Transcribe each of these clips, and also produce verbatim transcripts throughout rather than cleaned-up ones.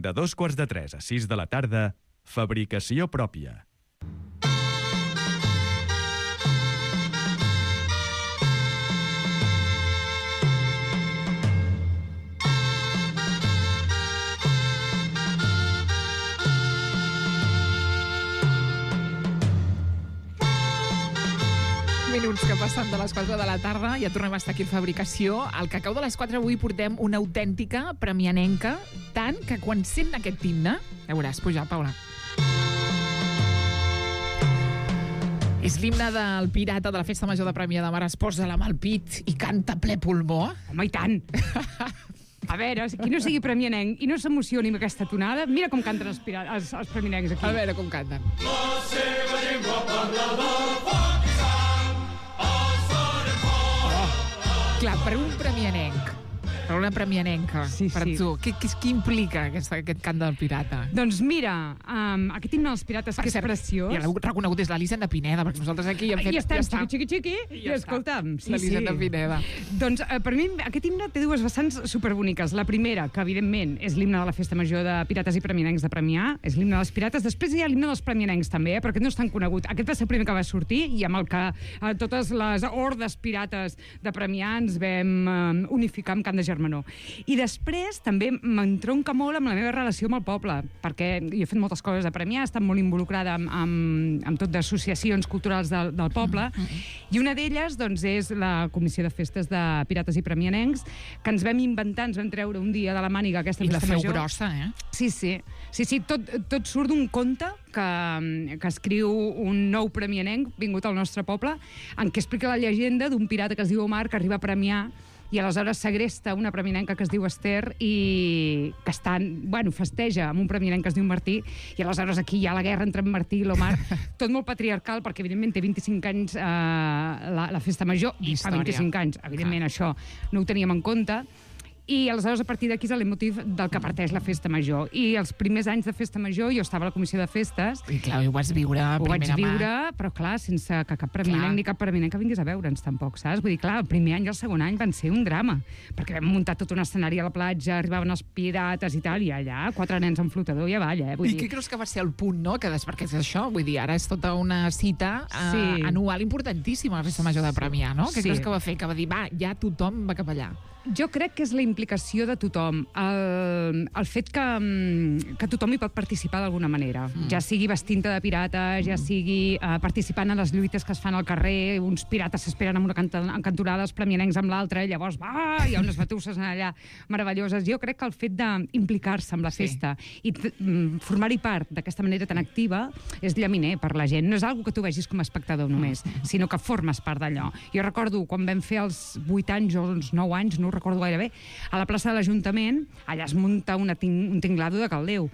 De dos quarts de tres a sis de la tarda, fabricació pròpia. Minuts que passen de les quatre de la tarda, ja tornem a estar aquí a Fabricació. Al Cacau de les quatre avui portem una autèntica premianenca, tant que quan sent aquest himne, ja veuràs, puja, Paula. És l'himne del pirata de la Festa Major de Premià de Mar, es posa la mà al pit i canta ple pulmó. Home, i tant! A veure, qui no sigui premianenc i no s'emocioni amb aquesta tonada, mira com canten els, pira- els, els premianencs aquí. A veure com canten. La seva llengua parlada, foc i sang, els farem fora. Clar, per un premianenc, per una premianenca, Sí, per sí. tu, què, què, què implica aquesta, aquest cant del pirata? Doncs mira, um, aquest himne dels pirates, Per que és cert, preciós... ja l'heu reconegut des de l'Elisenda Pineda, perquè nosaltres aquí hem fet... I estem, ja està. xiqui, xiqui, xiqui, i, ja escolta'm, sí, l'Elisenda sí. Pineda. Doncs eh, per mi aquest himne té dues vessants superboniques. La primera, que evidentment és l'himne de la Festa Major de Pirates i Premianencs de Premià, és l'himne dels pirates. Després hi ha l'himne dels premianencs també, eh, però aquest no és tan conegut. Aquest va ser el primer que va sortir i amb el que eh, totes les hordes pirates de Premià ens vam eh, unificar amb Cant de Germanor. I després també m'entronca molt amb la meva relació amb el poble, perquè jo he fet moltes coses a Premià, he estat molt involucrada amb, amb, amb tot d'associacions culturals del, del poble, i una d'elles doncs, és la Comissió de Festes de Pirates i Premianencs, que ens vam inventar, ens vam treure un dia de la màniga aquesta I la festa feu major. grossa, eh? Sí, sí. Sí, sí, tot, tot surt d'un conte que, que escriu un nou premianenc vingut al nostre poble, en què explica la llegenda d'un pirata que es diu Omar, que arriba a Premià i aleshores segresta una premianenca que es diu Esther i que està, bueno, festeja amb un premianenc que es diu Martí, i aleshores aquí hi ha la guerra entre en Martí i l'Omar, tot molt patriarcal, perquè evidentment té vint-i-cinc anys eh, la, la festa major, i fa Història. vint-i-cinc anys, evidentment això no ho teníem en compte. I aleshores, a partir d'aquí, és el motiu del que parteix la Festa Major. I els primers anys de Festa Major, jo estava a la Comissió de Festes, I clar, ho vas viure a ho vaig primera viure, mà. però clar, sense que cap premianenc Clar. ni cap premianenc que vingués a veure'ns tampoc, saps? Vull dir, clar, el primer any i el segon any van ser un drama, perquè vam muntar tot un escenari a la platja, arribaven els pirates i tal, i allà quatre nens amb flotador i avall, eh? Vull I dir... què creus que va ser el punt, no? Que des, perquè és això, vull dir, ara és tota una cita eh, Sí. anual importantíssima a la Festa Major de Premià, no? Què Sí. creus que va fer? Que va dir, va, ja tothom va cap allà. Jo crec que és la implicació de tothom, el, el fet que, mm, que tothom hi pot participar d'alguna manera, mm. ja sigui vestint-te de pirata, ja sigui eh, participant en les lluites que es fan al carrer, uns pirates s'esperen amb una canta, en cantonada, els premianencs amb l'altra, i llavors va, hi ha unes batusses allà meravelloses. Jo crec que el fet d'implicar-se amb la Sí. festa i mm, formar-hi part d'aquesta manera tan activa és llaminer per la gent. No és algo que tu vegis com a espectador només, sinó que formes part d'allò. Jo recordo quan vam fer els vuit anys o els nou anys, no ho recordo gaire bé, a la plaça de l'Ajuntament, allà es munta una ting un tinglado de caldeu.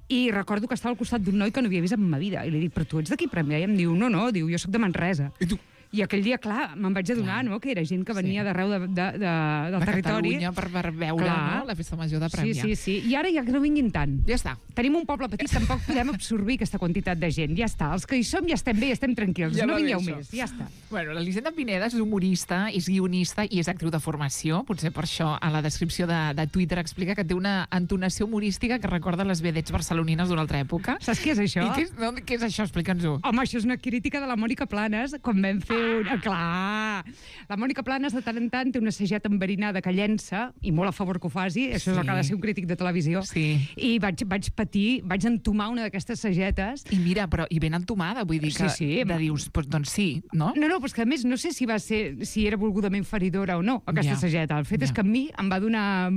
I recordo que estava al costat d'un noi que no havia vist en ma vida. I li dic, però tu ets d'aquí Premià? I em diu, no, no, diu, jo sóc de Manresa. I tu? I aquell dia, clar, me'n vaig adonar, no?, que era gent que venia Sí. d'arreu de, de, de, del De territori. Catalunya per, per veure, Clar. no? La Festa Major de Premià. Sí, sí, sí. I ara ja que no vinguin tant. Ja està. Tenim un poble petit, tampoc podem absorbir aquesta quantitat de gent. Ja està, els que hi som ja estem bé, estem tranquils. Ja no va bé, vingueu això. més, ja està. Bueno, l'Elisenda Pineda és humorista, és guionista i és actriu de formació. Potser per això a la descripció de, de Twitter explica que té una entonació humorística que recorda les vedets barcelonines d'una altra època. Saps què és això? I què és, no, què és això? Explica'ns-ho. Home, això és una crítica de la Mònica Planes, quan vam fer un... Ah, clar! La Mònica Planes, de tant en tant, té una sageta enverinada que llença, i molt a favor que ho faci, això Sí. és el que ha de ser un crític de televisió. Sí. I vaig, vaig patir, vaig entomar una d'aquestes sagetes. I mira, però i ben entomada, vull dir que Sí, sí. de dius, doncs, doncs sí, no? No, no, però és que a més no sé si va ser, si era volgudament feridora o no, aquesta Ja. sageta. El fet Ja. és que a mi em va donar...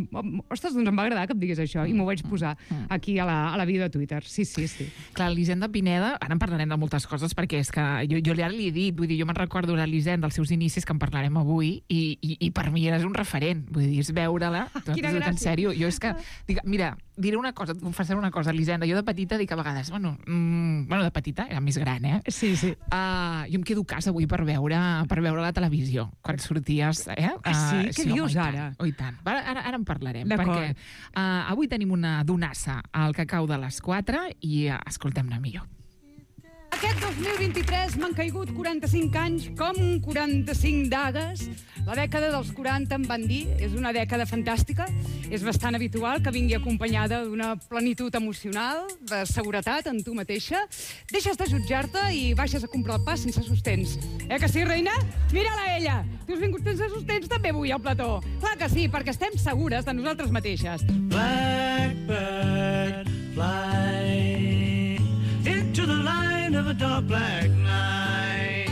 Ostres, doncs em va agradar que em digués això, i m'ho vaig posar aquí a la, a la bio de Twitter. Sí, sí, sí. Clar, l'Elisenda Pineda, ara en parlarem de moltes coses, perquè és que jo, jo ara li he dit, vull dir, jo me'n recordo l'Elisenda dels seus inicis, que en parlarem avui, i, i, i per mi eres un referent, vull dir, és veure-la, tot, Quina tot en gràcia. sèrio, jo és que, dic, mira, diré una cosa, et confessaré una cosa, Elisenda, jo de petita dic a vegades, bueno, mm, bueno, de petita, era més gran, eh? Sí, sí. Uh, jo em quedo a casa avui per veure, per veure la televisió, quan sorties, eh? Ah, sí? Uh, Què dius home, i tant, ara? Oh, i tant. Ara, ara, ara en parlarem, D'acord. perquè uh, avui tenim una donassa al Cacau de les quatre i uh, escoltem-la millor. Aquest dos mil vint-i-tres m'han caigut quaranta-cinc anys com quaranta-cinc dagues. La dècada dels quaranta em van dir, és una dècada fantàstica, és bastant habitual que vingui acompanyada d'una plenitud emocional, de seguretat en tu mateixa. Deixes de jutjar-te i baixes a comprar el pa sense sostens. Eh que sí, reina? Mira-la ella! Tu has vingut sense sostens també avui al plató. Clar que sí, perquè estem segures de nosaltres mateixes. Blackbird, fly into the line of a dark black night.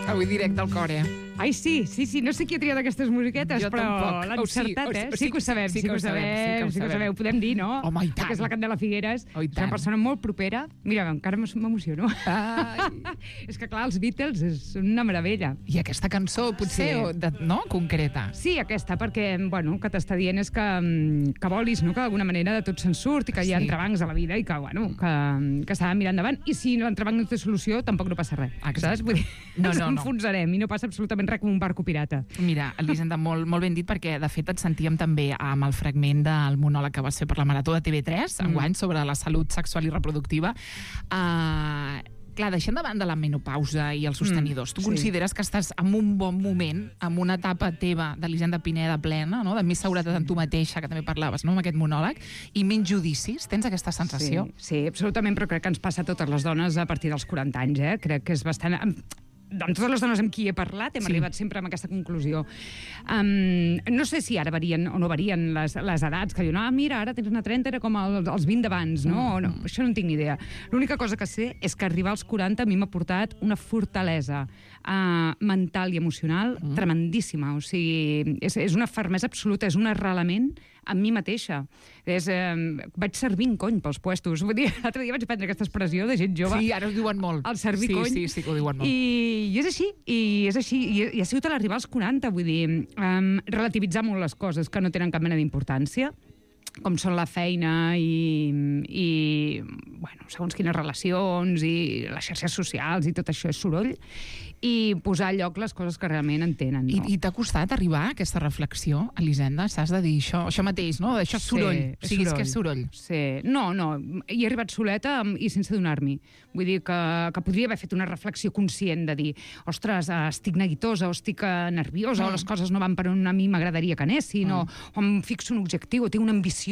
Avui directe al cor, eh? Ai, sí, sí, sí, no sé qui ha triat aquestes musiquetes, Jo però tampoc. l'han O sí, encertat, o sí, eh? o Sí que ho sabem, sí que ho sabem, sí que ho sabeu. Podem dir, no? Home, i tant. Que és la Candela Figueres, Oh, i és una tant. persona molt propera. Mira, encara m'emociono. Ai. És que, clar, els Beatles és una meravella. I aquesta cançó, potser, Sí. o de, no? Concreta. Sí, aquesta, perquè, bueno, que t'està dient és que, mm, que volis, no?, que d'alguna manera de tot se'n surt i que hi ha Sí. entrebancs a la vida i que, bueno, que, que s'ha de mirar endavant. I si l'entrebanc no té solució, tampoc no passa res. Exacte. Saps? Vull dir, No, ens no, no. enfonsarem i no passa absolutament res com un barco pirata. Mira, Elisenda, molt, molt ben dit, perquè de fet et sentíem també amb el fragment del monòleg que vas fer per la Marató de T V tres, Mm. enguany, sobre la salut sexual i reproductiva. Uh, clar, deixant de banda la menopausa i els sostenidors, tu sí. consideres que estàs en un bon moment, en una etapa teva d'Elisenda Pineda plena, no? De més seguretat en tu mateixa, que també parlaves, no?, amb aquest monòleg, i menys judicis? Tens aquesta sensació? Sí, sí, absolutament, però crec que ens passa a totes les dones a partir dels quaranta anys, eh? Crec que és bastant... Amb totes les dones amb qui he parlat hem Sí. sí. arribat sempre a aquesta conclusió. Um, no sé si ara varien o no varien les, les edats, que diuen, ah, mira, ara tens una trenta, era com el, els vint d'abans, no? no? Això no en tinc ni idea. L'única cosa que sé és que arribar als quaranta a mi m'ha portat una fortalesa uh, mental i emocional mm. tremendíssima. O sigui, és, és una fermesa absoluta, és un arrelament amb mi mateixa. És, eh, vaig servint cony pels puestos. Vull dir, l'altre dia vaig prendre aquesta expressió de gent jove. Sí, ara ho diuen molt. El servir sí, cony. Sí, sí, que ho diuen molt. I, I és així, i és així, i, i ha sigut a l'arribar als quaranta, vull dir, um, relativitzar molt les coses que no tenen cap mena d'importància, com són la feina i, i bueno, segons quines relacions i les xarxes socials i tot això és soroll, i posar a lloc les coses que realment entenen. I, No? I t'ha costat arribar a aquesta reflexió, Elisenda? S'has de dir això, això mateix, no? Això és soroll. Sí, O sigui, és que és soroll. Sí. No, no, hi he arribat soleta amb- i sense donar-m'hi. Vull dir que, que podria haver fet una reflexió conscient de dir, ostres, eh, estic neguitosa, o estic eh, nerviosa, Mm. o les coses no van per on a mi m'agradaria que anessin, mm. o, o em fixo un objectiu, o tinc una ambició.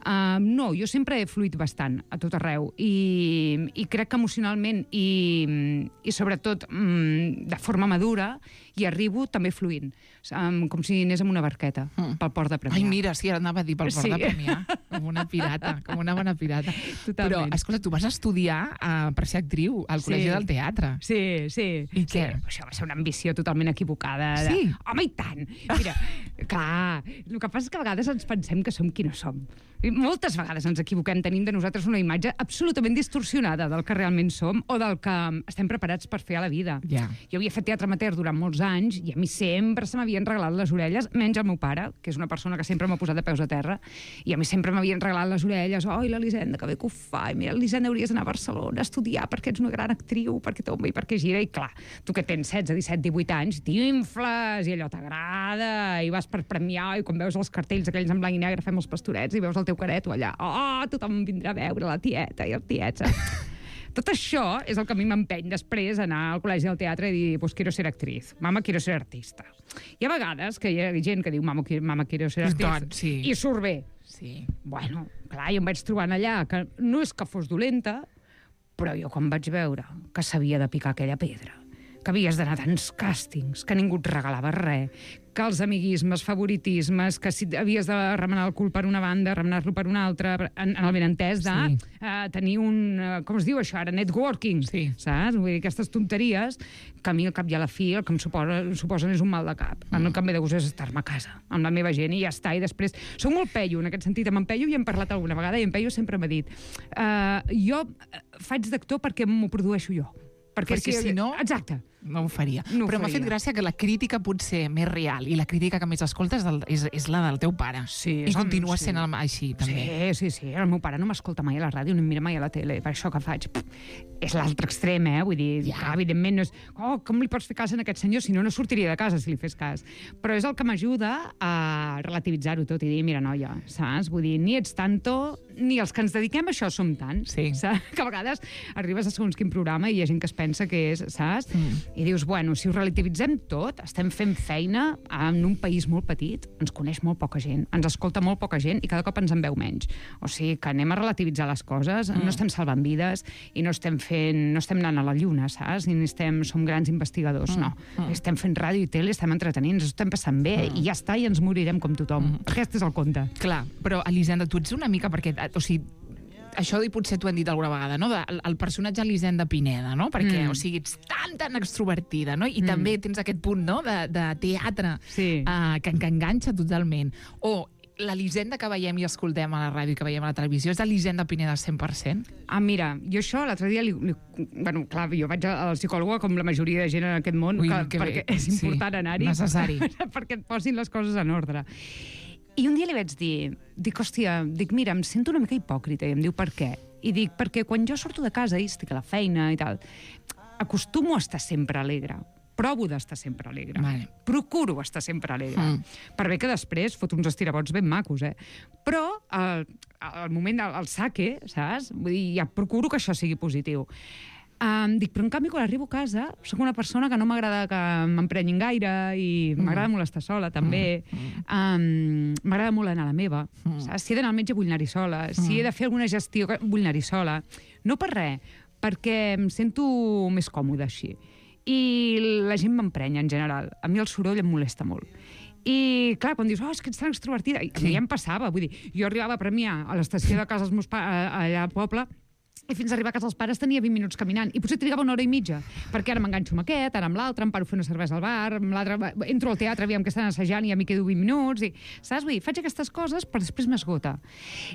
Uh, no, jo sempre he fluït bastant a tot arreu, i, i crec que emocionalment i, i sobretot mm, de forma madura hi arribo també fluint, um, com si anés amb una barqueta Mm. pel port de Premià. Ai, mira, sí, ara anava a dir pel port Sí. de Premià, com una pirata, com una bona pirata. Totalment. Però, escolta, tu vas estudiar uh, per ser actriu al Sí. Col·legi del Teatre. Sí, sí. I sí. què? Això va ser una ambició totalment equivocada. De... Sí? Home, i tant! Mira, clar, el que passa és que a vegades ens pensem que som qui no som. I moltes vegades ens equivoquem, tenim de nosaltres una imatge absolutament distorsionada del que realment som o del que estem preparats per fer a la vida. Ja. Jo havia fet teatre amateur durant molts anys i a mi sempre se m'havien regalat les orelles, menys el meu pare, que és una persona que sempre m'ha posat de peus a terra, i a mi sempre m'havien regalat les orelles. Oi, l'Elisenda, que bé que ho fa, i mira, Elisenda, hauries d'anar a Barcelona a estudiar perquè ets una gran actriu, perquè tomba i perquè gira, i clar, tu que tens setze, disset, divuit anys, t'infles, i allò t'agrada, i vas per premiar, i quan veus els cartells aquells en blanc i negre, fem els pastorets, i veus el teu careto allà, oh, tothom vindrà a veure la tieta i el tiet, saps? Tot això és el que a mi m'empeny després a anar al Col·legi del Teatre i dir, pues quiero ser actriz, mama, quiero ser artista. Hi ha vegades que hi ha gent que diu, mama, qui- mama quiero ser actriz, Doncs, sí. i surt bé. Sí. Bueno, clar, jo em vaig trobant allà, que no és que fos dolenta, però jo quan vaig veure que s'havia de picar aquella pedra, que havies d'anar a tants càstings, que ningú et regalava res, que els amiguismes, favoritismes, que si havies de remenar el cul per una banda, remenar-lo per una altra, en, en el benentès de Sí. uh, tenir un, uh, com es diu això ara, networking, Sí. saps? Vull dir, aquestes tonteries que a mi al cap i a la fi el que em suposa, suposen és un mal de cap. Mm. El que em ve de gust és estar-me a casa amb la meva gent i ja està, i després soc molt peio en aquest sentit, amb en Peyu hi hem parlat alguna vegada i en Peyu sempre m'ha dit uh, jo faig d'actor perquè m'ho produeixo jo. Perquè si no- Exacte. no ho faria. No ho Però m'ha faria. fet gràcia que la crítica potser més real i la crítica que més escoltes del, és, és la del teu pare. Sí, I és el- continua sí. sent el, així, també. Sí, sí, sí. El meu pare no m'escolta mai a la ràdio, ni em mira mai a la tele. Per això que faig... Pff, és l'altre extrem, eh? Vull dir, Ja. ja. evidentment, no és... Oh, com li pots fer cas a aquest senyor? Si no, no sortiria de casa si li fes cas. Però és el que m'ajuda a relativitzar-ho tot i dir, mira, noia, saps? Vull dir, ni ets tanto, ni els que ens dediquem a això som tants. Sí. Saps? Que a vegades arribes a segons quin programa i hi ha gent que es pensa que és, saps? Mm. I dius, bueno, si ho relativitzem tot, estem fent feina en un país molt petit, ens coneix molt poca gent, ens escolta molt poca gent i cada cop ens en veu menys. O sigui, que anem a relativitzar les coses, mm. no estem salvant vides i no estem fent, no estem anant a la lluna, saps? Ni estem, som grans investigadors, mm. no. Mm. Estem fent ràdio i tele, estem entretenint, ens ho estem passant bé mm. i ja està, i ens morirem com tothom. Mm. Aquest és el conte. Clar, però Elisenda, tu ets una mica perquè... O sigui, això i potser t'ho hem dit alguna vegada, no? De, el, el personatge Elisenda Pineda, no? Perquè, Mm. o sigui, ets tan, tan extrovertida, no? I Mm. també tens aquest punt, no?, de, de teatre Sí. uh, que, que enganxa totalment. O l'Elisenda que veiem i escoltem a la ràdio i que veiem a la televisió és Elisenda Pineda cent per cent? Ah, mira, jo això l'altre dia... Li, li, bueno, clar, jo vaig al psicòloga com la majoria de gent en aquest món, Ui, que, que bé. perquè és important Sí, anar-hi. necessari. Perquè et posin les coses en ordre. I un dia li vaig dir, dic, hòstia, dic, mira, em sento una mica hipòcrita. I em diu, per què? I dic, perquè quan jo surto de casa i estic a la feina i tal, acostumo a estar sempre alegre. Provo d'estar sempre alegre. Vale. Procuro estar sempre alegre. Mm. Per bé que després fot uns estirabots ben macos, eh? Però al, al moment del el saque, saps? Vull dir, ja procuro que això sigui positiu. Um, dic, però en canvi, quan arribo a casa, sóc una persona que no m'agrada que m'emprenyin gaire i Mm. m'agrada molt estar sola, també. Um, m'agrada molt anar a la meva. Mm. Saps? Si he d'anar al metge, vull anar-hi sola. Si he de fer alguna gestió, vull anar-hi sola. No per res, perquè em sento més còmoda així. I la gent m'emprenya, en general. A mi el soroll em molesta molt. I, clar, quan dius, oh, és que ets tan extrovertida, i a mi ja em passava, vull dir, jo arribava a Premià, a l'estació de casa dels meus pares, allà al poble, i fins a arribar a casa dels pares tenia vint minuts caminant, i potser trigava una hora i mitja, perquè ara m'enganxo amb aquest, ara amb l'altre, em paro a fer una cervesa al bar, amb l'altre, entro al teatre, aviam que estan assajant i ja m'hi quedo vint minuts, i, saps? Vull dir, faig aquestes coses, però després m'esgota.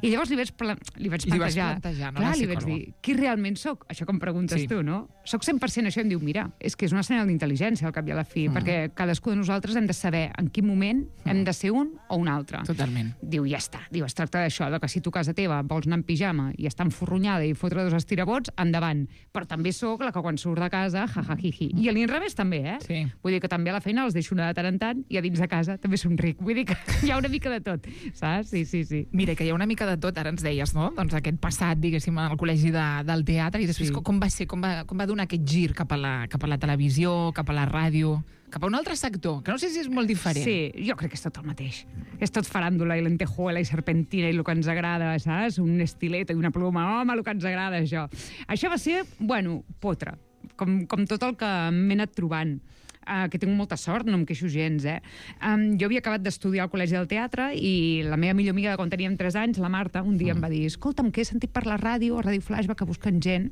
I llavors li vaig, pla- li vaig Li vas plantejar, plantejar, no, clar, la li vaig psicòloga. dir, qui realment sóc? Això que em preguntes Sí. tu, no? Soc cent per cent això, i em diu, mira, és que és una senyal d'intel·ligència al cap i a la fi, Mm. perquè cadascú de nosaltres hem de saber en quin moment hem de ser un o un altre. Totalment. Diu, ja està. Diu, es tracta d'això, de que si tu a casa teva vols anar en pijama i estar enforronyada i fotre dos estirabots, endavant. Però també sóc la que quan surt de casa, ja, ja, hi, hi. I a l'inrevés també, eh? Sí. Vull dir que també a la feina els deixo anar de tant en tant i a dins de casa també somric. Vull dir que hi ha una mica de tot, saps? Sí, sí, sí. Mira, que hi ha una mica de tot, ara ens deies, no? Doncs aquest passat, diguéssim, al col·legi de, del teatre, i després Sí. com, com va ser, com va, com va donar aquest gir cap a, la, cap a la televisió, cap a la ràdio, cap a un altre sector, que no sé si és molt diferent. Sí, jo crec que és tot el mateix. És tot faràndula i lentejuela i serpentina i el que ens agrada, saps? Un estilet i una ploma, home, el que ens agrada, això. Això va ser, bueno, potre, com, com tot el que m'he anat trobant. Uh, que tinc molta sort, no em queixo gens, eh? Um, jo havia acabat d'estudiar al Col·legi del Teatre i la meva millor amiga de quan teníem tres anys, la Marta, un dia mm. em va dir, escolta'm, que he sentit per la ràdio, a Ràdio Flaix, va que busquen gent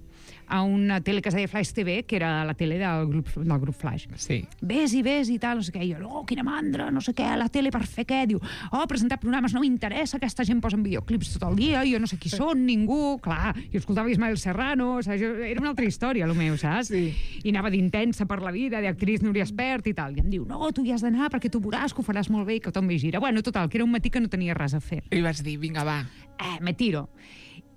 a una tele que es deia Flaix T V, que era la tele del grup, del grup Flaix. Sí. Ves i ves i tal, no sé què. I jo, oh, quina mandra, no sé què, la tele per fer què? Diu, oh, presentar programes no m'interessa, aquesta gent posa videoclips tot el dia, jo no sé qui són, ningú, clar, jo escoltava Ismael Serrano, saps? Jo, era una altra història, el meu, saps? Sí. I anava d'intensa per la vida, d'actriz Núria Espert i tal. I em diu, no, tu hi has d'anar perquè tu veuràs que ho faràs molt bé i que tot m'hi gira. Bueno, total, que era un matí que no tenia res a fer. I vas dir, vinga, va. Eh, me tiro.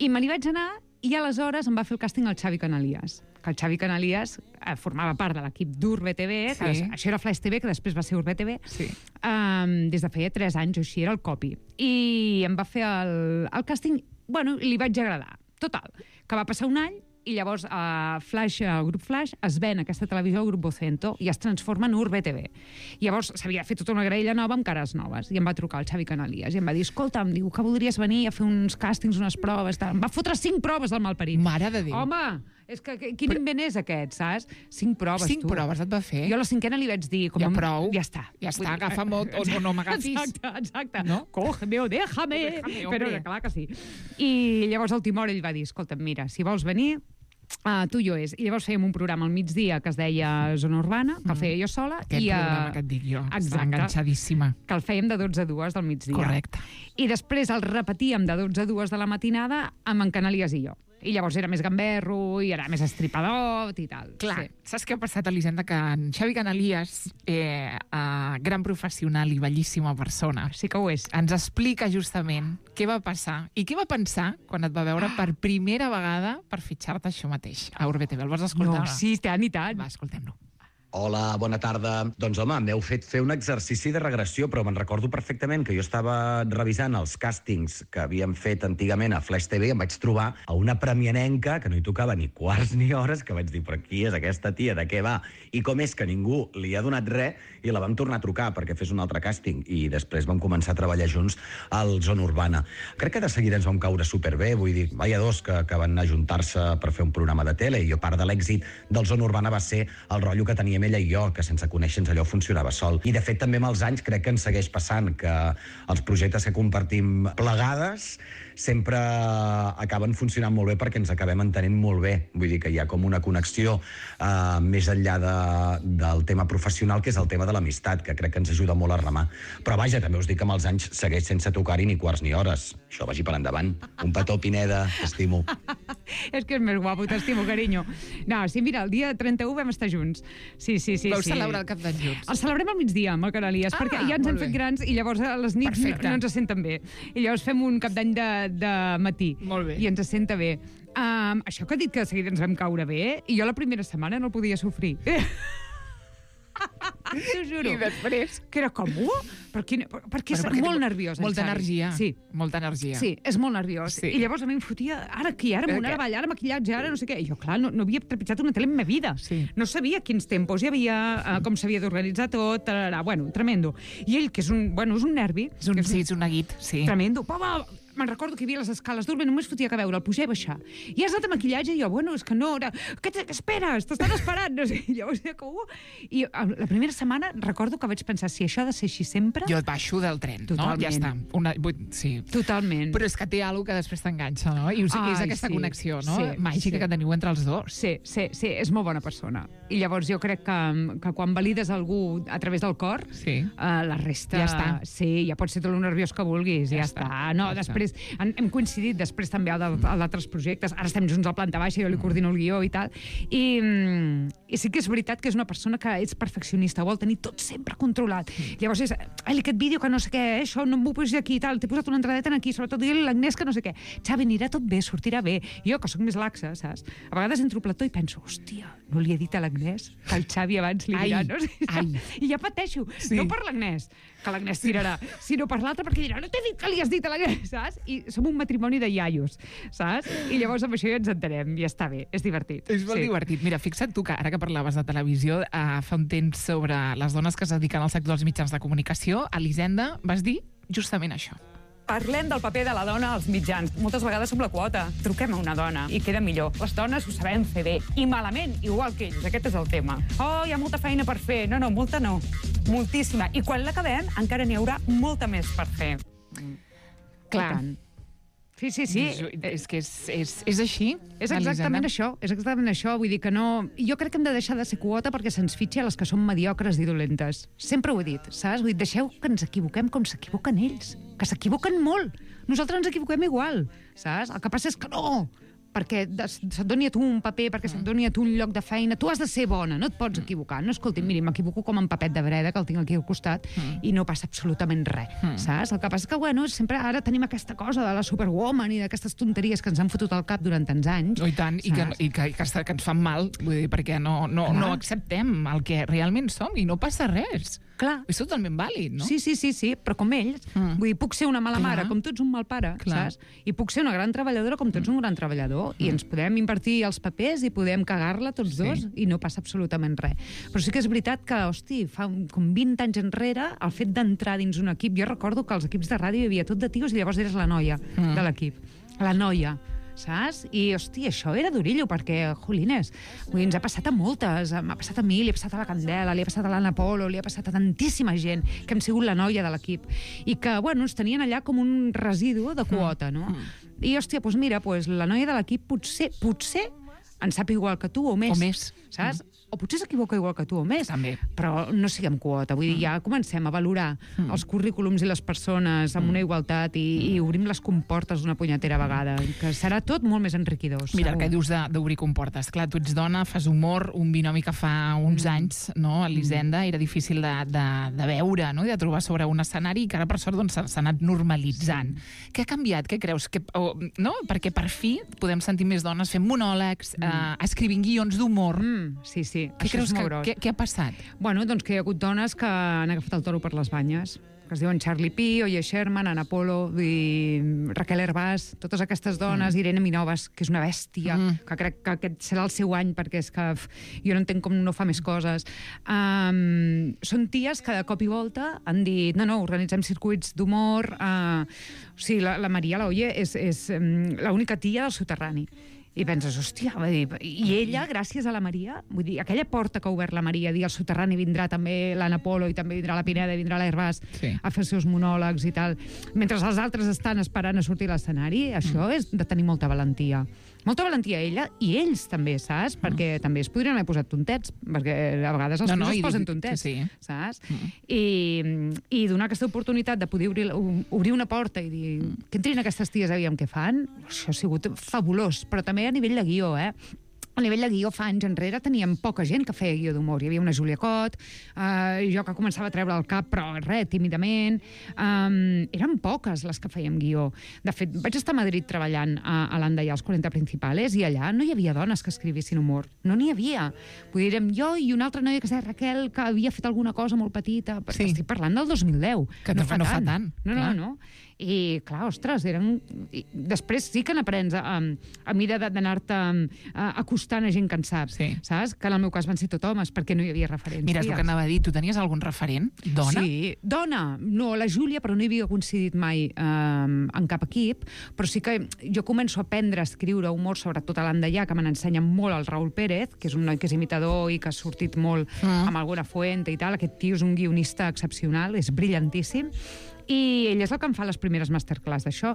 I me n'hi vaig anar i aleshores em va fer el càsting el Xavi Canalies, que el Xavi Canalies eh, formava part de l'equip d'Urbe T V, que Sí. això era Flaix T V, que després va ser Urbe T V, Sí. um, des de feia tres anys o així, era el copy. I em va fer el, el càsting, bueno, li vaig agradar. Total, que va passar un any i llavors a uh, Flash, el grup Flash, es ven aquesta televisió al grup Vocento i es transforma en Urbe T V. Llavors s'havia fet tota una graella nova amb cares noves i em va trucar el Xavi Canalies i em va dir, escolta, em diu que voldries venir a fer uns càstings, unes proves, tal. Em va fotre cinc proves al malparit. Mare de Déu. Home, és que, que quin Però- invent és aquest, saps? Cinc proves, Cinc tu. proves et va fer? Jo a la cinquena li vaig dir... Com Ja a- prou. Ja està. Ja Vull està, dir- agafa'm o, o, o no m'agafis. Exacte, exacte. No? Cógeme o déjame. Déjame, Però hombre. clar que sí. I llavors el Timor ell va dir, escolta, mira, si vols venir, Uh, tu i jo és. I llavors fèiem un programa al migdia que es deia Zona Urbana, que el feia jo sola. Aquest i, uh, programa que et dic jo. Està Exacte. enganxadíssima. Que el fèiem de dotze a dues del migdia. Correcte. I després el repetíem de dotze a dues de la matinada amb en Canalies i jo. I llavors era més gamberro, i era més estripador, i tal. Clar, Sí. saps què ha passat, Elisenda? Que en Xavi Canalies, eh, eh, gran professional i bellíssima persona, Sí que ho és. ens explica justament què va passar i què va pensar quan et va veure per primera vegada per fitxar-te això mateix a Urbe T V. El vols escoltar? No, sí, tant i tant. Va, escoltem-lo. Hola, bona tarda. Doncs home, m'heu fet fer un exercici de regressió, però me'n recordo perfectament que jo estava revisant els càstings que havíem fet antigament a Flash T V i em vaig trobar a una premianenca que no hi tocava ni quarts ni hores, que vaig dir, però qui és aquesta tia, de què va? I com és que ningú li ha donat res, i la vam tornar a trucar perquè fes un altre càsting, i després vam començar a treballar junts al Zona Urbana. Crec que de seguida ens vam caure superbé, vull dir, vaya dos que, que van ajuntar-se per fer un programa de tele, i jo part de l'èxit del Zona Urbana va ser el rotllo que teníem ella i jo, que sense conèixer-nos allò funcionava sol. I de fet també amb els anys crec que ens segueix passant que els projectes que compartim plegades sempre acaben funcionant molt bé perquè ens acabem entenent molt bé. Vull dir que hi ha com una connexió eh, més enllà de, del tema professional, que és el tema de l'amistat, que crec que ens ajuda molt a remar. Però vaja, també us dic que amb els anys segueix sense tocar-hi ni quarts ni hores. Això vagi per endavant. Un petó, Pineda, t'estimo. És que és més guapo, t'estimo, carinyo. No, sí, mira, el dia trenta-u vam estar junts. Sí, sí, sí. Vau sí. celebrar el Cap d'Any junts? El celebrem al migdia, amb el Canalies, Ah, perquè ja ens hem molt fet bé. grans i llavors a les nits Perfecte. no, no ens senten bé. I llavors fem un Cap d'Any de, de matí. Molt bé. I ens senta bé. Um, això que ha dit que de seguida ens vam caure bé, i jo la primera setmana no el podia sofrir. T'ho juro. I després? Que era com, uh, perquè, perquè és Però perquè molt té nerviós. el Molta Xavi. energia. Sí. Molta energia. Sí, és molt nerviós. Sí. I llavors a mi em fotia, ara aquí, ara amunt, Què? ara avall, ara maquillatge, ara no sé què. I jo, clar, no, no havia trepitjat una tele en ma vida. Sí. No sabia quins tempos hi havia, uh, com s'havia d'organitzar tot, tararà. Bueno, tremendo. I ell, que és un, bueno, és un nervi, És un, que sí, és un neguit, sí. tremendo. Pa, va, me'n recordo que hi havia les escales d'Urbe, només fotia que veure, el pujar i baixar. I has anat a maquillatge? I jo, bueno, és que no, era... Què, què esperes? T'estan esperant, no sé. I llavors, com... Uh, I uh, la primera setmana recordo que vaig pensar, si això ha de ser així sempre... Jo et baixo del tren, Totalment. no? Ja està. Una, vull, sí. Totalment. Però és que té alguna que després t'enganxa, no? I o sigui, és Ai, aquesta sí. connexió, no? Sí, Màgica sí. que teniu entre els dos. Sí, sí, sí, és molt bona persona. I llavors jo crec que, que quan valides algú a través del cor, Sí. uh, la resta... Ja està. Sí, ja pot ser tot el nerviós que vulguis, ja, Ja està. està, No, ja després, hem, hem coincidit després també a d'altres projectes, ara estem junts a planta baixa, jo li coordino el guió i tal, i, mm, i sí que és veritat que és una persona que és perfeccionista, vol tenir tot sempre controlat. Llavors és, ai, aquest vídeo que no sé què, eh, això no m'ho posis aquí i tal, t'he posat una entradeta aquí, sobretot dir-li a l'Agnès que no sé què. Xavi, anirà tot bé, sortirà bé. Jo, que sóc més laxa, saps? A vegades entro al plató i penso, hòstia, no li he dit a l'Agnès que el Xavi abans li dirà, Ai, no sé, ai. I ja pateixo, Sí. no per l'Agnès, que l'Agnès tirarà, sinó per l'altre, perquè dirà, no t'he dit que li has dit a l'Agnès, saps? I som un matrimoni de iaios, saps? I llavors amb això ja ens entenem, i està bé, és divertit. És molt Sí. divertit. Mira, fixa't tu que ara que parlaves de televisió, eh, fa un temps sobre les dones que es dediquen al sector dels mitjans de comunicació, Elisenda, vas dir justament això. Parlem del paper de la dona als mitjans. Moltes vegades som la quota. Truquem a una dona i queda millor. Les dones ho sabem fer bé. I malament, igual que ells. Aquest és el tema. Oh, hi ha molta feina per fer. No, no, molta no. Moltíssima. I quan l'acabem, encara n'hi haurà molta més per fer. Clar. I tant. Sí, sí, sí. És, és que és, és, és així, És exactament Elisenda. això, és exactament això. Vull dir que no... Jo crec que hem de deixar de ser quota perquè se'ns fitxa a les que són mediocres i dolentes. Sempre ho he dit, saps? Vull dir, deixeu que ens equivoquem com s'equivoquen ells, que s'equivoquen molt. Nosaltres ens equivoquem igual, saps? El que passa és que no, perquè des- se't doni a tu un paper, perquè se't doni a tu un lloc de feina, tu has de ser bona, no et pots equivocar. No, escolti, miri, m'equivoco com en papet de breda, que el tinc aquí al costat, i no passa absolutament res, saps? El que passa és que, bueno, sempre ara tenim aquesta cosa de la superwoman i d'aquestes tonteries que ens han fotut al cap durant tants anys. Oh, i tant, i que, saps? i que, que, està- que ens fan mal, vull dir, perquè no, no, Clar. no acceptem el que realment som i no passa res. Clar. És totalment vàlid, no? Sí, sí, sí, sí, però com ells. Mm. Vull dir, puc ser una mala Clar. mare, com tu ets un mal pare, Clar. saps? I puc ser una gran treballadora, com tu ets un gran treballador. I ens podem invertir els papers i podem cagar-la tots Sí. dos i no passa absolutament res. Però sí que és veritat que, hosti, fa un- com vint anys enrere, el fet d'entrar dins un equip... Jo recordo que als equips de ràdio hi havia tot de tios i llavors eres la noia Mm. de l'equip. La noia. Saps? I, hosti, això era durillo, perquè, jolines, vull dir, ens ha passat a moltes. M'ha passat a mi, li ha passat a la Candela, li ha passat a l'Anna Polo, li ha passat a tantíssima gent que hem sigut la noia de l'equip. I que, bueno, ens tenien allà com un residu de quota, no? I, hòstia, doncs mira, doncs la noia de l'equip potser, potser en sap igual que tu o més. O més. Saps? O potser s'equivoca igual que tu o més. També. Però no siguem quota. Vull dir, ja comencem a valorar Mm. els currículums i les persones amb una igualtat i, i obrim les comportes d'una punyetera vegada, que serà tot molt més enriquidor. Mira, el segur. que dius de- d'obrir comportes. Clar, tu ets dona, fas humor, un binomi que fa uns anys, no, a l'Hisenda, era difícil de, de, de veure, no?, i de trobar sobre un escenari, i que ara, per sort, doncs, s'ha s'ha anat normalitzant. Què ha canviat? Què creus? Que, o, no? Perquè per fi podem sentir més dones fent monòlegs, eh, escrivint guions d'humor. Mm, sí, sí. Què Això creus és molt que, gros. què, què ha passat? Bueno, doncs que hi ha hagut dones que han agafat el toro per les banyes, que es diuen Charlie Pi, Oye Sherman, Ana Polo, i Raquel Hervás, totes aquestes dones, mm. Irene Minovas, que és una bèstia, Mm. que crec que aquest serà el seu any, perquè és que f, jo no entenc com no fa més coses. Um, són ties que de cop i volta han dit, no, no, organitzem circuits d'humor. Uh, o sigui, la, la Maria, la Oye, és, és um, l'única tia del soterrani. I penses, hòstia, va dir, i ella, gràcies a la Maria, vull dir, aquella porta que ha obert la Maria, dir, al soterrani vindrà també l'Anna Polo i també vindrà la Pineda i vindrà l'Hervás Sí. a fer els seus monòlegs i tal, mentre els altres estan esperant a sortir a l'escenari, això Mm. és de tenir molta valentia. Molta valentia ella i ells també, saps? Perquè també es podrien haver posat tontets, perquè a vegades els Mm. No, no, no, es i posen dic- tontets, sí. saps? I, I donar aquesta oportunitat de poder obrir, obrir una porta i dir què entrin aquestes ties, aviam què fan, això ha sigut fabulós, però també a nivell de guió, eh? A nivell de guió, fa anys enrere, teníem poca gent que feia guió d'humor. Hi havia una Júlia Cot, eh, jo que començava a treure el cap, però res, tímidament. Um, eren poques les que fèiem guió. De fet, vaig estar a Madrid treballant a, a l'Andaià, als quaranta Principales, i allà no hi havia dones que escrivissin humor. No n'hi havia. Vull dir, érem jo i una altra noia que es deia Raquel, que havia fet alguna cosa molt petita. Sí. Estic parlant del dos mil deu. Que no fa- no fa tant, No, clar. no, no. I, clar, ostres, eren... I després sí que n'aprens a, a mida de- d'anar-te a- acostant a gent que en sap, Sí. saps? Que en el meu cas van ser tot homes, perquè no hi havia referents. Mira, és el que anava a dir. Tu tenies algun referent? Dona? Sí, dona. No, la Júlia, però no hi havia coincidit mai eh, en cap equip, però sí que jo començo a aprendre a escriure humor, sobretot a l'Andaià, que me n'ensenya molt el Raül Pérez, que és un noi que és imitador i que ha sortit molt Mm. amb alguna fuente i tal. Aquest tio és un guionista excepcional, és brillantíssim, i ell és el que em fa les primeres masterclass d'això.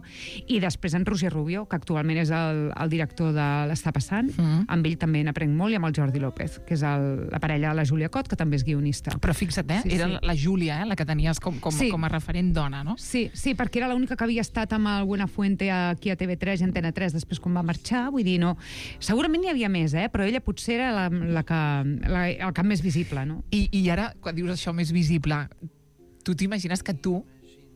I després en Roger Rubio, que actualment és el, el director de l'Està passant, Mm. amb ell també n'aprenc molt, i amb el Jordi López, que és el, la parella de la Júlia Cot, que també és guionista. Però fixa't, eh? Sí, Era sí. la Júlia, eh? La que tenies com, com, Sí. com a referent dona, no? Sí, sí, perquè era l'única que havia estat amb el Buenafuente aquí a T V tres i Antena tres després quan va marxar, vull dir, no... Segurament n'hi havia més, eh? Però ella potser era la, la que, la, el cap més visible, no? I, I ara, quan dius això més visible, tu t'imagines que tu,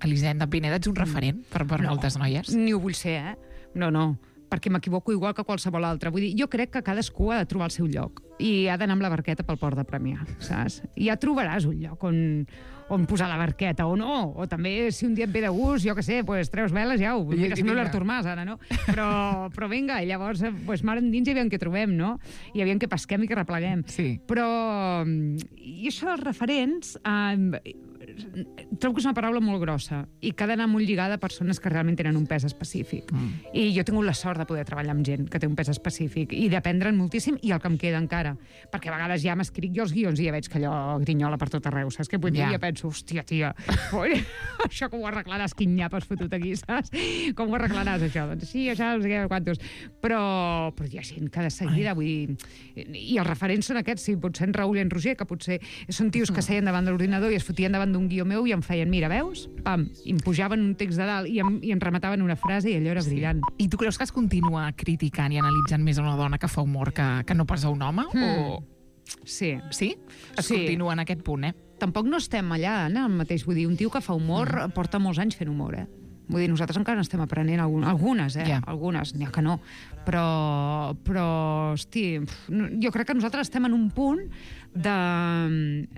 Elisenda Pineda, ets un referent per, per No. moltes noies? Ni ho vull ser, eh? No, no, perquè m'equivoco igual que qualsevol altre. Vull dir, jo crec que cadascú ha de trobar el seu lloc i ha d'anar amb la barqueta pel port de Premià, saps? I ja trobaràs un lloc on, on posar la barqueta, o no. O també, si un dia et ve de gust, jo què sé, pues, treus veles, ja ho... I- Mira, i sembla vinga. l'Artur Mas, ara, no? Però, però vinga, llavors, eh, pues, mar endins i aviam què trobem, no? I aviam què pesquem i què repleguem. Sí. Però... I això dels referents... Eh, trobo que és una paraula molt grossa i que ha d'anar molt lligada a persones que realment tenen un pes específic. Mm. I jo he tingut la sort de poder treballar amb gent que té un pes específic i d'aprendre'n moltíssim, i el que em queda encara. Perquè a vegades ja m'escric jo els guions i ja veig que allò grinyola per tot arreu, saps? Que vull dir, Ja. ja penso, hòstia, tia, oi, això com ho arreglaràs, quin nyap has fotut aquí, saps? Com ho arreglaràs, això? Doncs sí, això, no sé què, quantos. Però, però hi ha gent que de seguida, vull dir... I els referents són aquests, sí, potser en Raül i en Roger, que potser són tios que seien davant de l'ordinador i es fotien davant d'un guió meu i em feien, mira, veus? Pam, i em pujaven un text de dalt i em, i em remataven una frase i allò era brillant. I tu creus que es continua criticant i analitzant més a una dona que fa humor que, que no pas a un home? Mm. O... Sí. Sí? Es Sí. continua en aquest punt, eh? Tampoc no estem allà, en el mateix. Vull dir, un tio que fa humor mm. porta molts anys fent humor, eh? Vull dir, nosaltres encara n'estem aprenent algun, algunes, eh? Ja. Algunes, n'hi ha que no. Però, però, hosti, pf, no- jo crec que nosaltres estem en un punt de,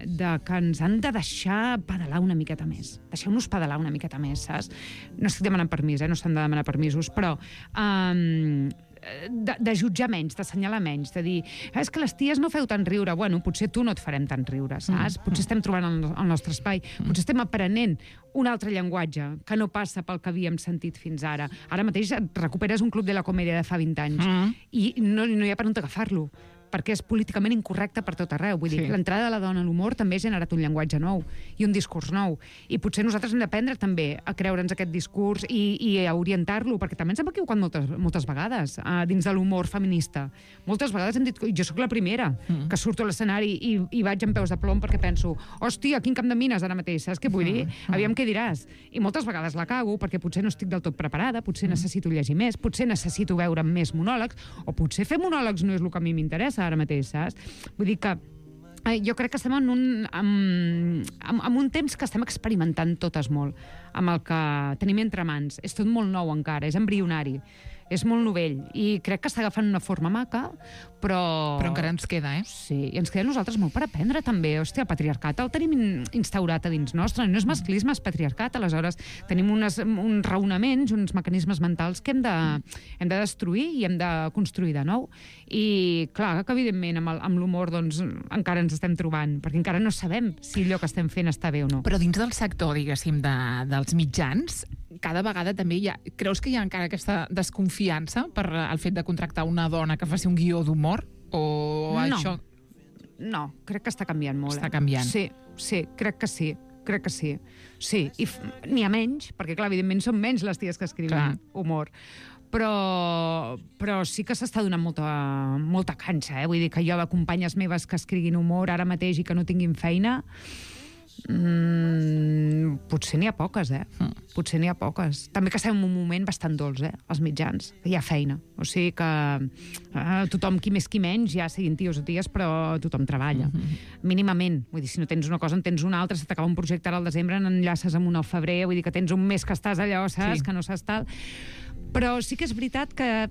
de que ens han de deixar pedalar una miqueta més. Deixeu-nos pedalar una miqueta més, saps? No estic demanant permís, eh? No s'han de demanar permisos, però... Um, de, de jutjar menys, d'assenyalar menys, de dir, ah, és que les ties no feu tant riure. Bueno, potser tu no et farem tant riure, saps? Mm. Potser estem trobant el, el nostre espai, potser estem aprenent un altre llenguatge que no passa pel que havíem sentit fins ara. Ara mateix et recuperes un club de la comèdia de fa vint anys Mm. i no, no hi ha per on agafar-lo. perquè és políticament incorrecte per tot arreu. Vull dir, Sí. l'entrada de la dona a l'humor també ha generat un llenguatge nou i un discurs nou. I potser nosaltres hem d'aprendre també a creure'ns aquest discurs i, i a orientar-lo, perquè també ens hem equivocat moltes, moltes vegades uh, dins de l'humor feminista. Moltes vegades hem dit, jo sóc la primera mm. que surto a l'escenari i, i vaig amb peus de plom perquè penso, hòstia, quin camp de mines ara mateix, saps què vull dir? Mm. Aviam què diràs. I moltes vegades la cago perquè potser no estic del tot preparada, potser mm. necessito llegir més, potser necessito veure més monòlegs, o potser fer monòlegs no és el que a mi m'interessa ara mateix, saps? Vull dir que eh, jo crec que estem en un, en, en, en un temps que estem experimentant totes molt, amb el que tenim entre mans. És tot molt nou encara, és embrionari, és molt novell, i crec que està agafant una forma maca, però... Però encara ens queda, eh? Sí, i ens queda a nosaltres molt per aprendre, també. Hòstia, el patriarcat el tenim in- instaurat a dins nostre. No és masclisme, és patriarcat. Aleshores, tenim unes, uns raonaments, uns mecanismes mentals que hem de, hem de destruir i hem de construir de nou. I, clar, que evidentment amb, el, amb l'humor doncs, encara ens estem trobant, perquè encara no sabem si allò que estem fent està bé o no. Però dins del sector, diguéssim, de, dels mitjans, cada vegada també hi ha... Creus que hi ha encara aquesta desconfiança per el fet de contractar una dona que faci un guió d'humor? O No. això... No, crec que està canviant molt. Està eh? canviant. Sí, sí, crec que sí. Crec que sí. Sí, i f- n'hi ha menys, perquè, clar, evidentment són menys les ties que escriuen Clar. humor. Però, però sí que s'està donant molta, molta canxa, eh? Vull dir que jo de companyes meves que escriguin humor ara mateix i que no tinguin feina, mm, potser n'hi ha poques, eh? Mm. Potser n'hi ha poques. També que estem en un moment bastant dolç, eh? Els mitjans, que hi ha feina. O sigui que eh, tothom, qui més qui menys, ja siguin tios o ties, però tothom treballa. Mm-hmm. Mínimament. Vull dir, si no tens una cosa, en tens una altra, se t'acaba un projecte ara al desembre, n'enllaces amb un al febrer, vull dir que tens un mes que estàs allò, saps? Sí. Que no saps tal. Però sí que és veritat que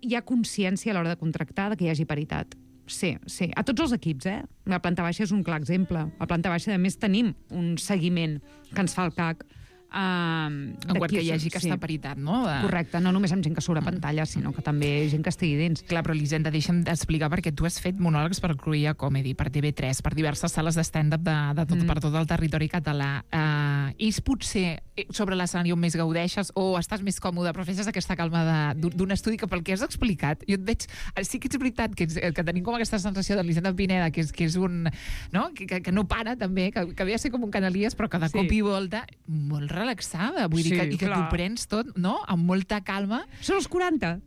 hi ha consciència a l'hora de contractar de que hi hagi paritat. Sí, sí. A tots els equips, eh? La planta baixa és un clar exemple. A planta baixa, a més, tenim un seguiment que ens fa el C A C. Um, En quart que hi hagi aquesta paritat, no? De... Correcte, no només amb gent que surt a pantalla, sinó que també gent que estigui dins. Clar, però Elisenda, deixa'm explicar, perquè tu has fet monòlegs per Cruïlla Comedy, per T V tres, per diverses sales de stand-up de, de tot, mm. per tot el territori català. Uh, és potser sobre l'escenari on més gaudeixes o estàs més còmode, però fes aquesta calma de- d'un estudi que pel que has explicat, jo et veig... Sí que és veritat que, ets, que tenim com aquesta sensació de l'Elisenda Pineda, que és, que és un... No? Que, que, que no para, també, que, que ve a ser com un canalies, però que de Sí. cop i volta molt relaxada, vull dir Sí, que, i que clar. t'ho prens tot, no?, amb molta calma, Són els quaranta.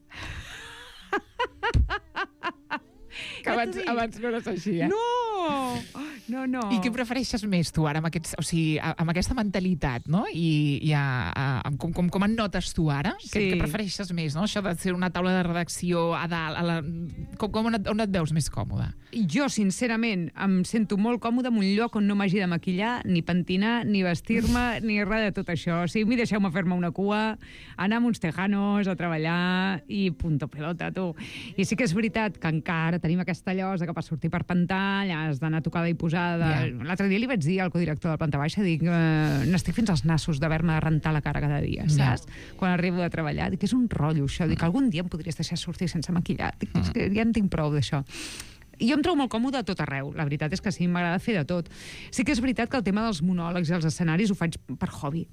que abans, t'ho dic. abans no eres així, eh? No! No, no. I què prefereixes més, tu, ara, amb, aquests, o sigui, a- amb aquesta mentalitat, no? I, i a, a, amb com, com, com et notes tu ara? Sí. Què, què prefereixes més, no? Això de ser una taula de redacció a dalt, a la... com, com on, et, on et veus més còmode? Jo, sincerament, em sento molt còmode en un lloc on no m'hagi de maquillar, ni pentinar, ni vestir-me, ni res de tot això. O sigui, a mi deixeu-me fer-me una cua, anar amb uns tejanos a treballar i punto pelota, tu. I sí que és veritat que encara tenim aquesta llosa que per sortir per pantalla has d'anar tocada i posada. Ja. L'altre dia li vaig dir al codirector de planta baixa, dic, eh, n'estic fins als nassos d'haver-me de rentar la cara cada dia, saps? Quan arribo de treballar. Dic, és un rotllo, això. Dic, algun dia em podries deixar sortir sense maquillar. Dic, és que ja en tinc prou d'això. I jo em trobo molt còmode a tot arreu. La veritat és que sí, m'agrada fer de tot. Sí que és veritat que el tema dels monòlegs i els escenaris ho faig per hobby.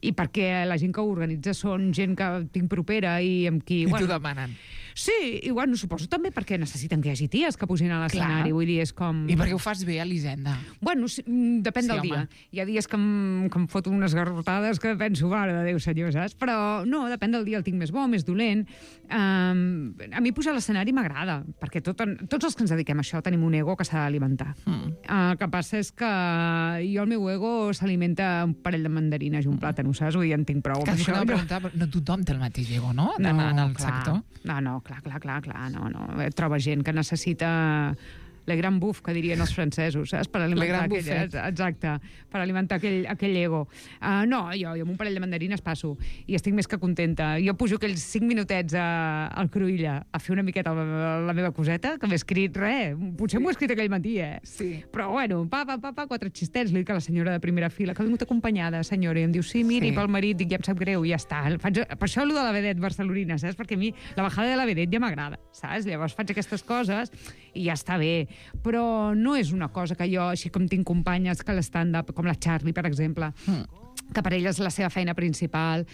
I perquè la gent que ho organitza són gent que tinc propera i amb qui... I t'ho demanen. Sí, i bueno, suposo també perquè necessiten que hi hagi ties que pugin a l'escenari. Clar. Vull dir, és com... I perquè ho fas bé, Elisenda. Bueno, sí, mm, depèn Sí, del home. dia. Hi ha dies que em, que em foto unes garrotades que penso, mare de Déu, senyor, saps? Però no, depèn del dia, el tinc més bo, més dolent. Um, a mi pujar a l'escenari m'agrada, perquè tot, tots els que ens dediquem a això tenim un ego que s'ha d'alimentar. Mm. Uh, el que passa és que jo, el meu ego s'alimenta un parell de mandarines i un plàtan, saps? Vull dir, en tinc prou. Que Per això això, no, no, preguntar, però no tothom té el mateix ego, no? En, en el clar. sector. No, no, clar, clar, clar, clar, no, no. Troba gent que necessita le grand buff, que dirien els francesos, saps? Per alimentar grand aquell, buffet. exacte, per alimentar aquell, aquell ego. Uh, no, jo, jo amb un parell de mandarines passo i estic més que contenta. Jo pujo aquells cinc minutets a, al Cruïlla a fer una miqueta la, la meva coseta, que m'he escrit res, potser m'ho he escrit aquell matí, eh? Sí. Però bueno, pa, pa, pa, pa, quatre xistets, li dic a la senyora de primera fila, que ha vingut acompanyada, senyora, i em diu, sí, miri, Sí. pel marit, dic, ja em sap greu, i ja està. Faig, per això allò de la vedet barcelonina, saps? Perquè a mi la bajada de la vedet ja m'agrada, saps? Llavors faig aquestes coses i ja està bé. Però no és una cosa que jo, així com tinc companyes que l'stand-up, com la Charlie, per exemple, mm. que per ella és la seva feina principal,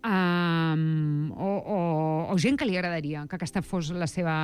Um, o, o, o gent que li agradaria que aquesta fos la seva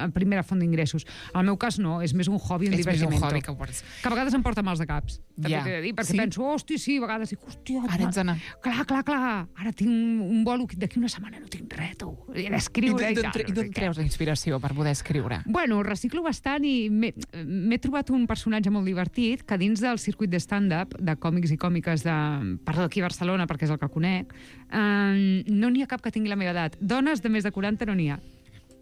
mm. primera font d'ingressos. En el meu cas no, és més un hobby, un és divertimento. més un hobby que, pots... que a vegades em porta mals de caps, també Ja. t'he de dir, perquè Sí? penso, hosti, sí, a vegades dic, hòstia, Ara ets anar. clar, clar, clar, ara tinc un, un bolo d'aquí una setmana no tinc res, tu, he d'escriure i, I d'on tal. tre- i no sé d'on què. treus la inspiració per poder escriure? Bueno, reciclo bastant i m'he m'he trobat un personatge molt divertit que dins del circuit de stand-up, de còmics i còmiques de... Parlo d'aquí a Barcelona perquè és el que conec, eh, no n'hi ha cap que tingui la meva edat. Dones de més de quaranta no n'hi ha.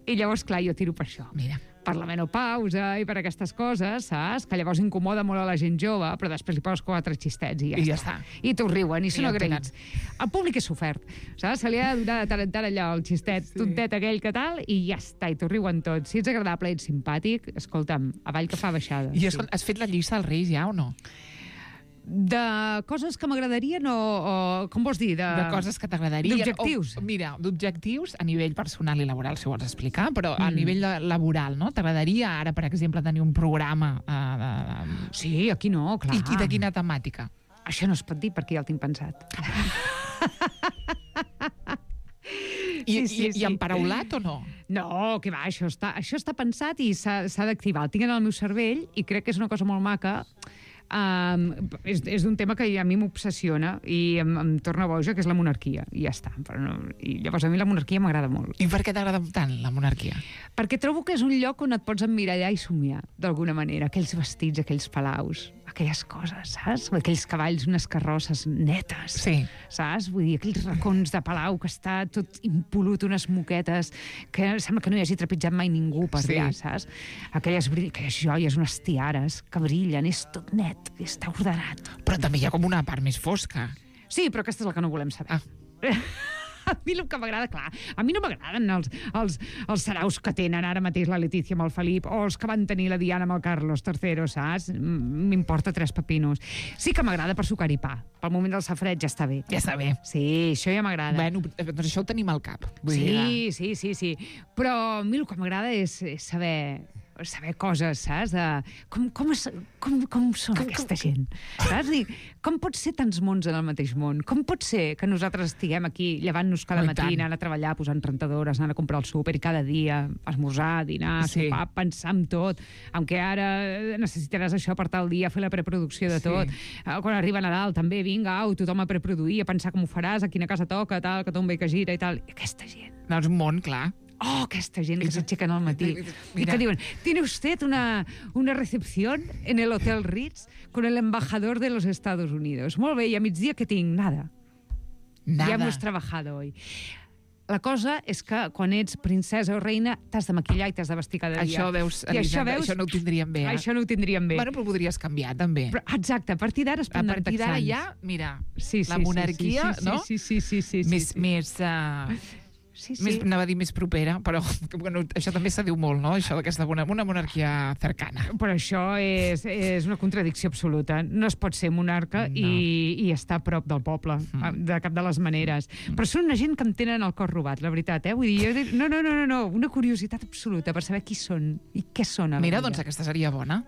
I llavors, clar, jo tiro per això. Mira. Per la menopausa i per aquestes coses, saps? Que llavors incomoda molt a la gent jove, però després li poses quatre xistets i ja, I ja està. està. I t'ho riuen, i són ja en agraïts. El públic és sofert, saps? Se li ha de donar de tant en tant allò, el xistet sí. tontet aquell que tal, i ja està, i t'ho riuen tots. Si ets agradable i ets simpàtic, escolta'm, avall que fa baixada. I sí. escolta, has fet la llista dels Reis ja o no? De coses que m'agradarien o, o... Com vols dir? De, De coses que t'agradarien. D'objectius. O, mira, d'objectius a nivell personal i laboral, si ho vols explicar, però a Mm. nivell la- laboral, no? T'agradaria ara, per exemple, tenir un programa eh, de, de... Sí, aquí no, clar. I, I de quina temàtica? Això no es pot dir perquè ja el tinc pensat. I, Sí, sí, i, sí. i emparaulat o no? No, que va, això està, això està pensat i s'ha s'ha d'activar. El tinc en el meu cervell i crec que és una cosa molt maca. Um, és és d'un tema que a mi m'obsessiona i em, em torna boja, que és la monarquia. I ja està. Però no, i llavors a mi la monarquia m'agrada molt. I per què t'agrada tant la monarquia? Perquè trobo que és un lloc on et pots emmirallar i somiar, d'alguna manera. Aquells vestits, aquells palaus, aquelles coses, saps? Aquells cavalls, unes carrosses netes. Sí. Saps? Vull dir, aquells racons de palau que està tot impolut, unes moquetes, que sembla que no hi hagi trepitjat mai ningú per Sí. allà, saps? Aquelles, brill- aquelles joies, unes tiares que brillen, és tot net, està ordenat. Però també hi ha com una part més fosca. Sí, però aquesta és la que no volem saber. Ah. A mi el que m'agrada, clar, a mi no m'agraden els, els, els saraus que tenen ara mateix la Letícia amb el Felip o els que van tenir la Diana amb el Carlos tercero, saps? M- M'importa tres pepinos. Sí que m'agrada per sucar i pa. Pel moment del safreig ja està bé. Ja està bé. Sí, això ja m'agrada. Bueno, doncs això ho tenim al cap. Vull dir, Sí, sí, sí, sí. Però a mi el que m'agrada és, és saber saber coses, saps? De com, com, es, com, com són com, aquesta com... gent, saps? Dir, com pot ser tants mons en el mateix món? Com pot ser que nosaltres estiguem aquí llevant-nos cada Oh, i matí, tant. anant a treballar, posant rentadores, anant a comprar el súper i cada dia esmorzar, dinar, Sí. sopar, pensar en tot, aunque ara necessitaràs això per tal dia, fer la preproducció de Sí. tot. Eh, Quan arriba Nadal també, vinga, au, tothom a preproduir, a pensar com ho faràs, a quina casa toca, tal, que tomba i que gira i tal. I aquesta gent, no, és un món, clar. oh, aquesta gent que s'aixequen al matí i Mira. que diuen, ¿tiene usted una, una recepción en el Hotel Ritz con el embajador de los Estados Unidos? Molt bé, i a migdia què tinc? Nada. Nada. Ya hemos trabajado hoy. La cosa és que quan ets princesa o reina t'has de maquillar i t'has de vestir cada dia. Això veus, I això, Elisenda, veus, això no ho tindríem bé. Eh? Això no ho tindríem bé. Bueno, però podries canviar, també. Però, exacte, a partir d'ara es a prendran partir d'ara texans. ja, mira, Sí, sí, la sí, monarquia, sí, sí, no? Sí, sí, sí, sí, sí, més, sí. més, uh, Sí, sí. més, anava a dir més propera, però bueno, això també se diu molt, no? Això d'aquesta una, una monarquia cercana. Però això és, és una contradicció absoluta. No es pot ser monarca No. i, i estar a prop del poble, Mm. de cap de les maneres. Però són una gent que em tenen el cor robat, la veritat, eh? Vull dir, jo dic, no, no, no, no, no, una curiositat absoluta per saber qui són i què són. a la Mira, vida. doncs aquesta seria bona.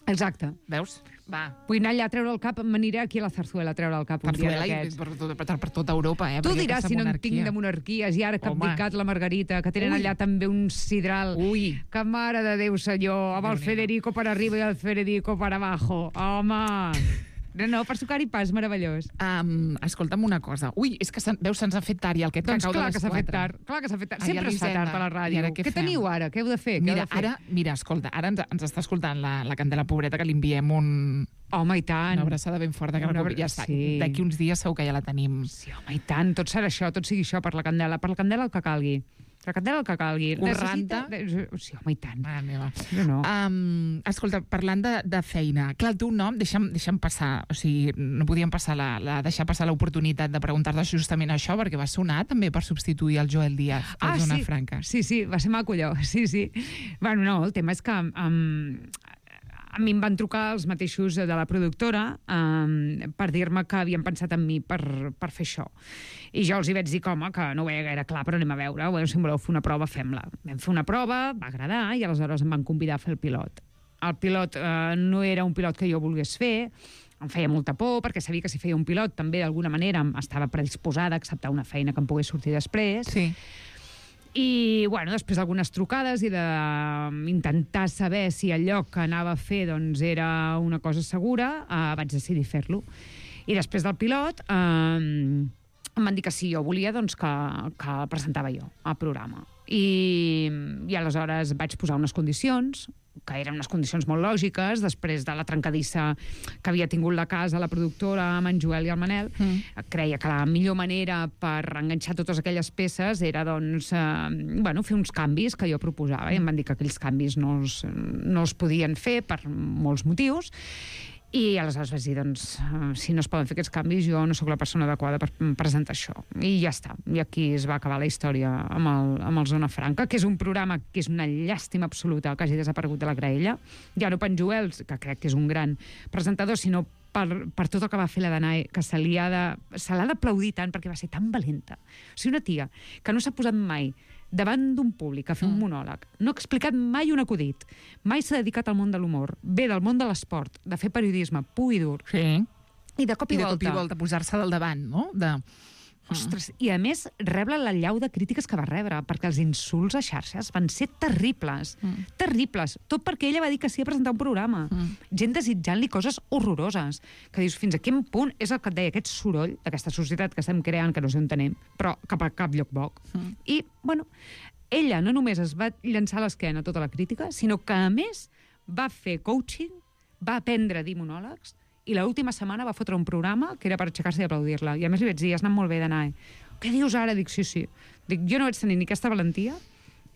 Exacte. Veus? Va. Vull anar allà a treure el cap, m'aniré aquí a la Zarzuela a treure el cap un dia Zarzuela i d'aquests. per, tot, per, per tota Europa, eh? Tu perquè diràs aquesta si no en monarquia- tinc de monarquies, i ara que ha Home. abdicat la Margarita, que tenen Ui. allà també un sidral. Ui. Que mare de Déu, senyor, amb el Déu-n'hi-do. Federico per arriba i el Federico per abajo. Home! No, no, per sucar i pas, meravellós. Um, escolta'm una cosa. Ui, és que se'n, veus, se'ns ha fet tard i el que et Doncs cau de clar les que s'ha fet quatre. tard. Clar que s'ha fet tard. Ai, Sempre es fa Elisenda, tard a la i ràdio. ara què Què fem? teniu ara? Què heu de fer? Què Mira, heu de fer? ara, mira, escolta, ara ens, ens està escoltant la, la Candela Pobreta, que li enviem un, Home, i tant. una abraçada ben forta, que Una no, abra- ja està. sí. D'aquí uns dies segur que ja la tenim. Sí, home, i tant. Tot serà això, tot sigui això per la Candela. Per la Candela el que calgui. Per la Candela el que calgui. Corranta. Necessita... Sí, home, i tant. Mare meva. No, no. Um, escolta, parlant de, de feina, clar, el teu nom, deixa'm, deixa'm passar, o sigui, no podíem passar la, la, deixar passar l'oportunitat de preguntar-te justament això, perquè va sonar també per substituir el Joel Díaz, a Zona sí. Franca. Sí, sí, va ser maco allò, sí, sí. Bueno, no, el tema és que um, a mi em van trucar els mateixos de la productora um, per dir-me que havien pensat en mi per, per fer això. I jo els hi vaig dir que, home, que no ho veia gaire clar, però anem a veure, bueno, si em voleu fer una prova, fem-la. Vam fer una prova, va agradar, i aleshores em van convidar a fer el pilot. El pilot eh, no era un pilot que jo volgués fer, em feia molta por, perquè sabia que si feia un pilot també d'alguna manera estava predisposada a acceptar una feina que em pogués sortir després. Sí. I, bueno, després d'algunes trucades i d'intentar saber si el lloc que anava a fer doncs, era una cosa segura, eh, vaig decidir fer-lo. I després del pilot eh, em van dir que sí, jo volia doncs, que, que el presentava jo al programa. I, I aleshores vaig posar unes condicions, que eren unes condicions molt lògiques, després de la trencadissa que havia tingut la casa, la productora, amb en Joel i el Manel. Mm. Creia que la millor manera per enganxar totes aquelles peces era doncs, eh, bueno, fer uns canvis que jo proposava, mm. i em van dir que aquells canvis no es, no es podien fer per molts motius. I aleshores vaig dir, doncs, si no es poden fer aquests canvis, jo no sóc la persona adequada per presentar això. I ja està. I aquí es va acabar la història amb el, amb el Zona Franca, que és un programa que és una llàstima absoluta que hagi desaparegut de la graella. Ja no per en Joel, que crec que és un gran presentador, sinó per, per tot el que va fer la Danae, que se li ha de, se l'ha d'aplaudir tant perquè va ser tan valenta. O sigui, una tia que no s'ha posat mai davant d'un públic a fer un monòleg, no ha explicat mai un acudit, mai s'ha dedicat al món de l'humor, ve del món de l'esport, de fer periodisme pur i dur, sí. i de cop i, I de volta... cop i volta posar-se del davant, no? De... Ostres, i a més rebre la llau de crítiques que va rebre, perquè els insults a xarxes van ser terribles, mm. terribles, tot perquè ella va dir que sí a presentar un programa, mm. gent desitjant-li coses horroroses, que dius, fins a quin punt és el que et deia, aquest soroll d'aquesta societat que estem creant, que no sé on tenem, però cap a cap lloc boc. Mm. I, bueno, ella no només es va llançar a l'esquena a tota la crítica, sinó que, a més, va fer coaching, va aprendre a dir monòlegs, i l'última setmana va fotre un programa que era per aixecar-se i aplaudir-la. I a més li vaig dir, has anat molt bé d'anar. Què dius ara? Dic, sí, sí. Dic, jo no vaig tenir ni aquesta valentia,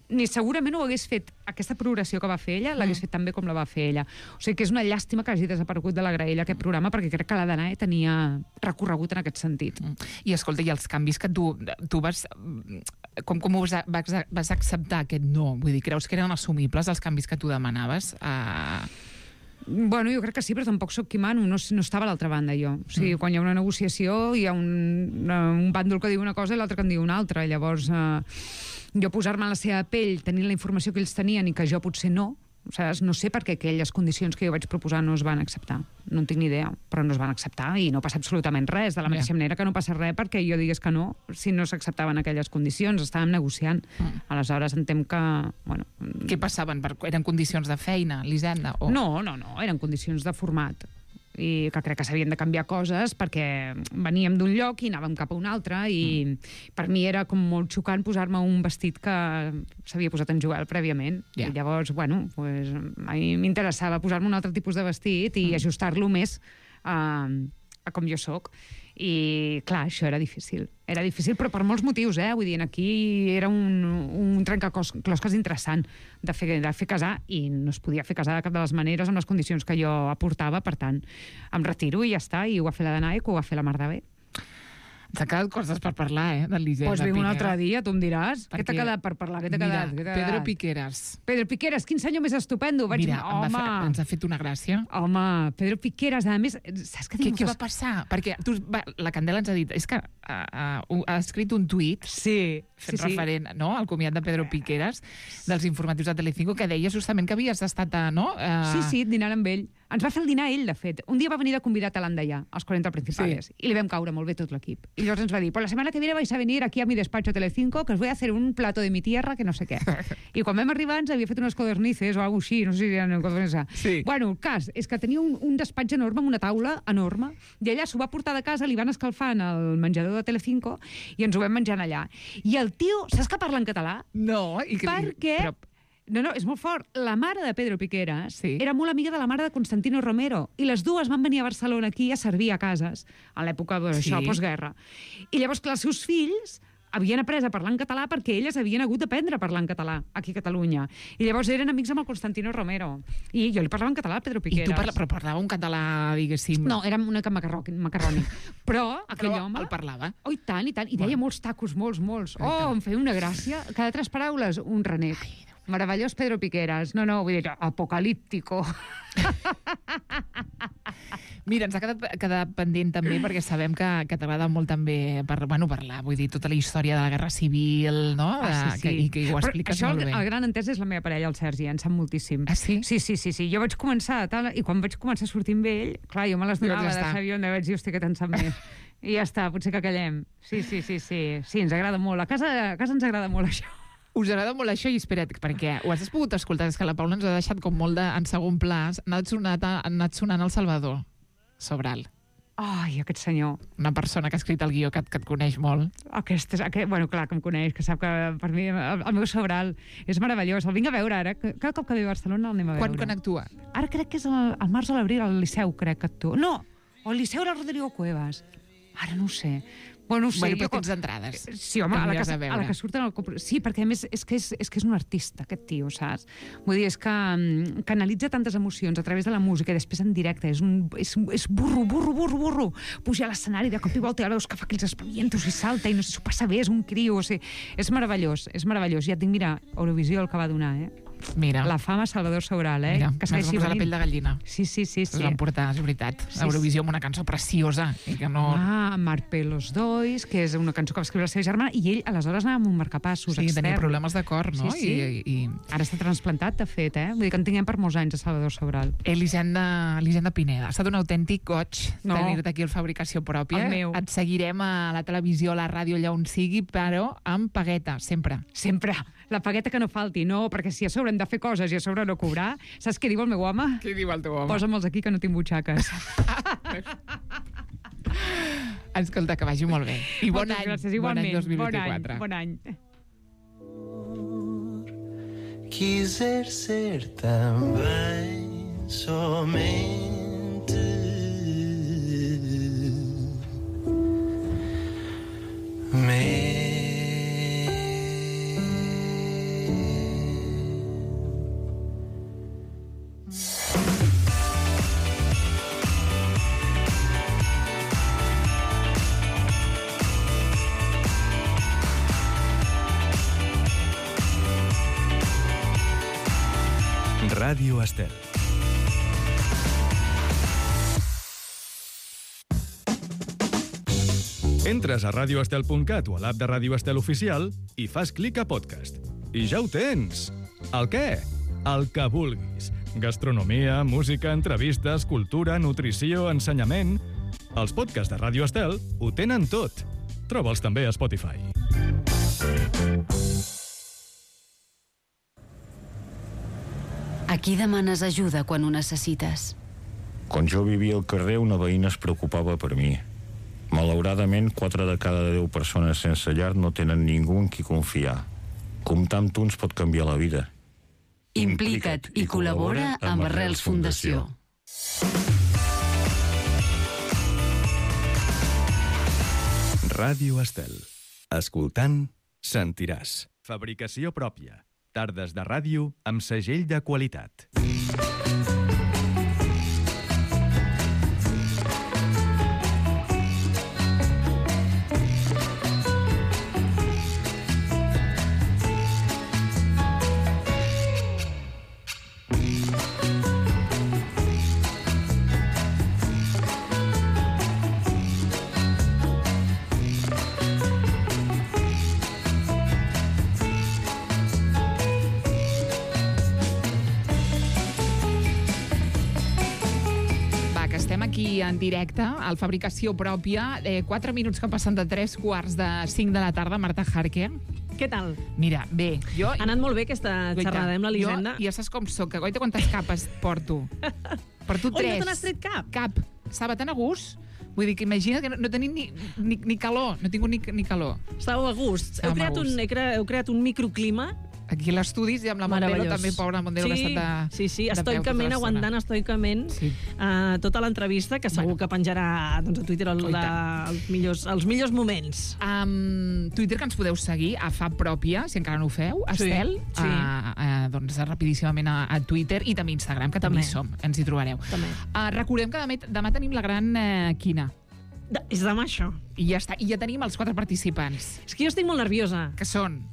ni segurament ho hagués fet, aquesta progressió que va fer ella, l'hagués fet tan bé com la va fer ella. O sigui que és una llàstima que hagi desaparegut de la graella aquest programa, perquè crec que la Danae tenia recorregut en aquest sentit. I escolta, i els canvis que tu, tu vas... Com, com vas, vas, vas acceptar aquest no? Vull dir, creus que eren assumibles els canvis que tu demanaves? Uh... Bueno, jo crec que sí, però tampoc soc qui mano, no, no estava a l'altra banda jo. O sigui, mm. quan hi ha una negociació hi ha un, un bàndol que diu una cosa i l'altre que en diu una altra. Llavors, eh, jo posar-me en la seva pell, tenint la informació que ells tenien i que jo potser no, o sigui, no sé per què aquelles condicions que jo vaig proposar no es van acceptar. No en tinc ni idea, però no es van acceptar i no passa absolutament res. De la mateixa yeah. manera que no passa res perquè jo digués que no si no s'acceptaven aquelles condicions. Estàvem negociant. Mm. Aleshores entenc que... Bueno, què passaven? Eren condicions de feina, l'Hisenda? O... No, no, no. Eren condicions de format. I que crec que s'havien de canviar coses perquè veníem d'un lloc i anàvem cap a un altre i mm. per mi era com molt xocant posar-me un vestit que s'havia posat en Joel prèviament. Yeah. I llavors, bueno, pues, a mi m'interessava posar-me un altre tipus de vestit i mm. ajustar-lo més a, a com jo sóc. I, clar, això era difícil. Era difícil, però per molts motius, eh? Vull dir, aquí era un, un trencaclosques interessant de fer, de fer casar i no es podia fer casar de cap de les maneres amb les condicions que jo aportava, per tant, em retiro i ja està, i ho va fer la Danae, que ho va fer la Mar de bé. T'ha quedat coses per parlar, eh, del Lisenda Pues vinc un altre dia, tu em diràs. Què t'ha quedat per parlar? Què t'ha quedat? Mira, Pedro Piqueras. Pedro Piqueras, quin senyor més estupendo. Vaig... Mira, Home. Fa, ens ha fet una gràcia. Home, Pedro Piqueras, a més, saps què diu? Què, què va passar? Perquè tu, va, la Candela ens ha dit, és que uh, uh, ha escrit un tuit sí, fent sí, referent sí. no, al comiat de Pedro Piqueras dels informatius de Telecinco, que deia justament que havies estat a... No? Uh... Sí, sí, dinant amb ell. Ens va fer el dinar ell, de fet. Un dia va venir de convidat a l'Andallà, als quaranta Principales, sí. i li vam caure molt bé tot l'equip. I llavors ens va dir, pues la semana que viene vais a venir aquí a mi despacho Telecinco, que os voy a hacer un plato de mi tierra, que no sé què. I quan vam arribar ens havia fet unes codornices o alguna cosa així, no sé si eren codornices. Sí. Bueno, el cas és que tenia un, un despatx enorme amb una taula enorme, i allà s'ho va portar de casa, li van escalfar en el menjador de Telecinco, i ens ho vam menjar allà. I el tio, saps que parla en català? No, i que... Perquè... Però... No, no, és molt fort. La mare de Pedro Piqueras sí. era molt amiga de la mare de Constantino Romero i les dues van venir a Barcelona aquí a servir a cases a l'època d'això, sí. postguerra. I llavors, clar, els seus fills havien après a parlar en català perquè elles havien hagut d'aprendre a parlar en català aquí a Catalunya. I llavors eren amics amb el Constantino Romero. I jo li parlava en català a Pedro Piqueras. I tu parla, però parlava un català, diguéssim... No, era una mica macarrònic. Però aquell però home... el parlava. Oh, i tant, i tant. I deia molts tacos, molts, molts. Oh, em feia una gràcia. Cada tres paraules, un renec. Ai, meravellós Pedro Piqueras. No, no, vull dir, apocalíptico. Mira, ens ha quedat, quedat pendent també perquè sabem que, que t'agrada molt també per, bueno, parlar, vull dir, tota la història de la Guerra Civil, no? Ah, sí, sí. Que, i que ho Però expliques això, molt bé. el gran entès és la meva parella, el Sergi, en sap moltíssim. Ah, sí? Sí, sí, sí, sí. Jo vaig començar tal, i quan vaig començar a sortir amb ell, clar, jo me les donava Doncs ja de està. Xavier, on vaig dir, hosti, que te'n sap més. I ja està, potser que callem. Sí, sí, sí, sí. Sí, ens agrada molt. A casa, a casa ens agrada molt això. Us agrada molt això? I espera't, perquè ho has pogut escoltar, és que la Paula ens ha deixat com molt de, en segon pla. Ha anat sonant, ha anat sonant el Salvador Sobral. Ai, aquest senyor. Una persona que ha escrit el guió que, et- que et coneix molt. Aquest, és- aquest, bueno, clar, que em coneix, que sap que per mi el, el meu Sobral és meravellós. El vinc a veure ara. que Cada cop que ve a Barcelona el anem a veure. Quan, quan actua? Ara crec que és el, el març o l'abril al Liceu, crec que actua. No, o al Liceu era el Rodrigo Cuevas. Ara no ho sé. Bueno, no ho sé. Bueno, però jo com- tens entrades. Sí, home, Que a la, que, aniràs a a veure. la que surten al compro... Sí, perquè a més és que és, és que és un artista, aquest tio, saps? Vull dir, és que mm, canalitza tantes emocions a través de la música i després en directe. És, un, és, és burro, burro, burro, burro. Puja a l'escenari, de cop i volta ja veus que fa aquells espavientos i salta i no sé, s'ho passa bé, és un criu. O sigui, és meravellós, és meravellós. Ja et dic, mira, Eurovisió el que va donar, eh? Mira, La fama Salvador Sobral, eh? mira, que m'has segueixi posat la venint. pell de gallina. Sí, sí, sí, Es sí. van portar, és veritat, Sí, a Eurovisió amb una cançó preciosa i que no... Ah, Marpe los Dois, que és una cançó que va escriure la seva germana, i ell aleshores anava amb un marcapassos sí, extern. tenia problemes de cor, no? Sí, sí. I, i, Ara està transplantat, de fet, eh? Vull dir que en tinguem per molts anys a Salvador Sobral. Elisenda, Elisenda Pineda, ha estat un autèntic goig No. tenir-te aquí al Fabricació Pròpia. El meu. Et seguirem a la televisió, a la ràdio, allà on sigui, però amb pagueta, sempre. Sempre. La pagueta que no falti, no, perquè si a sobre hem de fer coses i a sobre no cobrar, saps què diu el meu home? Què diu el teu home? Posa'm-els aquí que no tinc butxaques. Escolta, que vagi molt bé. I bon Moltes any, gràcies, bon igualment. any dos mil Bon any, vint-i-quatre. bon any. Quiser ser também somente Ràdio Estel. Entres a radioestel punt cat o a l'app de Ràdio Estel Oficial i fas clic a podcast. I ja ho tens! El què? El que vulguis. Gastronomia, música, entrevistes, cultura, nutrició, ensenyament... Els podcasts de Ràdio Estel ho tenen tot. Troba'ls també a Spotify. A qui demanes ajuda quan ho necessites? Quan jo vivia al carrer, una veïna es preocupava per mi. Malauradament, quatre de cada deu persones sense llar no tenen ningú en qui confiar. Comptar amb tu ens pot canviar la vida. Implica't i col·labora amb Arrels Fundació. Ràdio Estel. Escoltant, sentiràs. Fabricació pròpia. Tardes de ràdio amb segell de qualitat. Aquí en directe, al Fabricació Pròpia, eh, quatre minuts que passen de tres quarts de cinc de la tarda. Marta Harker. Què tal? Mira, bé, jo... Ha anat molt bé aquesta Goita, xerrada amb l'Elisenda. Jo, ja saps com soc, que goita quantes capes porto. Porto Oi, tres. no te n'has tret cap? Cap. Estava tan a gust. Vull dir que imagina't que no, no tenim ni, ni, ni calor, no he tingut ni, ni calor. Estàveu a gust. Heu Estàvem a creat, gust. un, heu, creat, heu creat un microclima. Aquí a l'estudi, i amb la Mondelo Meravellós. també, pobra Mondelo, sí, que ha estat de, Sí, sí, de peu tota estoicament, l'estona. aguantant estoicament Sí. uh, tota l'entrevista, que segur Bueno. que penjarà doncs, a Twitter el, Oh, i la, tant. els, millors, els millors moments. Um, Twitter, que ens podeu seguir a Fab Pròpia, si encara no ho feu, Sí, Estel, sí. a, a, doncs rapidíssimament a, a Twitter i també a Instagram, que també, També. hi som, ens hi trobareu. També. Uh, recordem que demà, demà tenim la gran eh, quina. De, és demà, això. I ja està, i ja tenim els quatre participants, És que jo estic molt nerviosa. que són...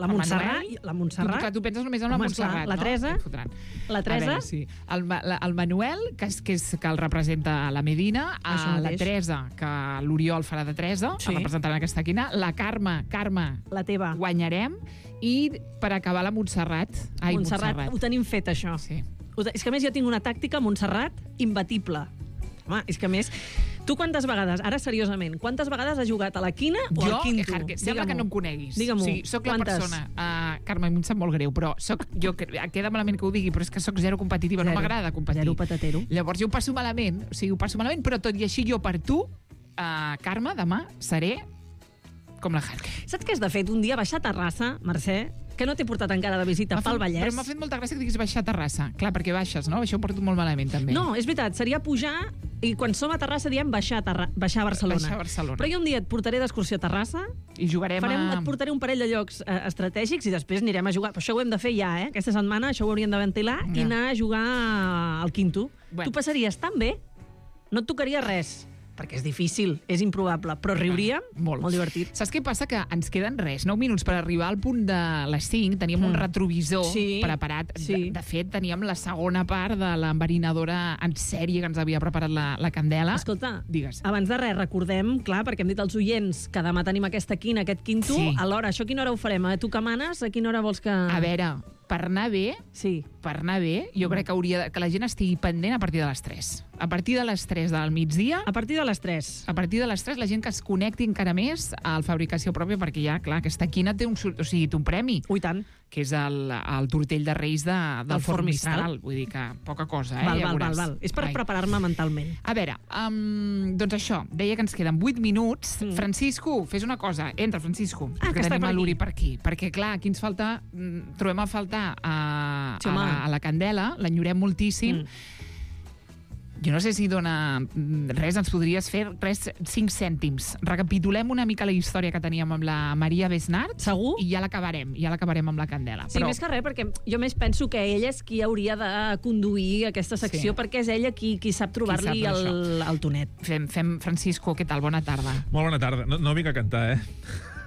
La Montserrat, la Montserrat. Tu, clar, tu penses només en la Home, Montserrat, esclar, la Teresa, no? la Teresa. A veure, sí. El, Ma- la, el Manuel, que, és, que, és, que el representa la Medina, Això a la mateix. Teresa, que l'Oriol farà de Teresa, Sí. sí. representant aquesta quina, la Carme, Carme, La teva. guanyarem, i per acabar la Montserrat. Ai, Montserrat, Montserrat. ho tenim fet, això. Sí. Ho te- És que, a més, jo tinc una tàctica, Montserrat, imbatible. Home, és que, a més, tu quantes vegades, ara seriosament, quantes vegades has jugat a la quina o Jo, al quinto? Harque, sembla que no em coneguis. Digue-m'ho. O sigui, soc la Quantes? persona... Uh, Carme, a mi em sap molt greu, però soc, jo, que- queda malament que ho digui, però és que soc zero competitiva, Zero. no m'agrada competir. Zero patatero. Llavors jo ho passo malament, o sigui, ho passo malament, però tot i així jo per tu, uh, Carme, demà seré com la Harque. Saps què has de fet? Un dia baixar a Terrassa, Mercè, que no t'he portat encara de visita M'ha pel fet- Vallès. Però m'ha fet molta gràcia que diguis baixar a Terrassa. Clar, perquè baixes, no? Això ho porto molt malament, també. No, és veritat, seria pujar i quan som a Terrassa diem baixar a, Terra... baixar a Barcelona. Baixar a Barcelona. Però jo un dia et portaré d'excursió a Terrassa, I jugarem farem, a... et portaré un parell de llocs eh, estratègics i després anirem a jugar. Però això ho hem de fer ja, eh? Aquesta setmana això ho hauríem de ventilar Ja. i anar a jugar al quinto. Bueno. Tu passaries tan bé, no et tocaria res, perquè és difícil, és improbable, però riuríem, Molt. molt divertit. Saps què passa? Que ens queden res, nou minuts per arribar al punt de les cinc. Teníem un Mm. retrovisor Sí, preparat. sí. De, de fet, teníem la segona part de l'enverinadora en sèrie que ens havia preparat la, la Candela. Escolta, Digues. abans de res, recordem, clar, perquè hem dit als oients que demà tenim aquesta quina, aquest quinto, Sí. alhora, això a quina hora ho farem? A tu que manes, a quina hora vols que... A veure, per anar bé, Sí. per anar bé, jo crec que hauria de, que la gent estigui pendent a partir de les tres. A partir de les tres del migdia, A partir de les tres. a partir de les tres, la gent que es connecti encara més a la fabricació pròpia, perquè ja, clar, aquesta quina té un, sur- o sigui, té un premi, Ui, tant. que és el, el tortell de Reis de, del Del Forn Forn Mistral. Mistral. Vull dir que poca cosa, eh? val, ja val, val, veuràs. val. És per Ai. preparar-me mentalment. A veure, um, doncs això, deia que ens queden vuit minuts. Mm. Francisco, fes una cosa. Entra, Francisco, Ah, que que està tenim per a l'Uri aquí. per aquí. Perquè, clar, aquí ens falta... mm, trobem a faltar a, Sí, a, home. la, a la Candela, l'enyorem moltíssim. Mm. Jo no sé si dona mm, res, ens podries fer res, cinc cèntims. Recapitulem una mica la història que teníem amb la Maria Besnart. Segur? I ja l'acabarem, ja l'acabarem amb la Candela. Sí, més que res, perquè jo més penso que ella és qui hauria de conduir aquesta secció, Sí. perquè és ella qui, qui sap trobar-li Qui sap el, el tonet. Fem, fem, Francisco, què tal? Bona tarda. Molt bona tarda. No, no vinc a cantar, eh?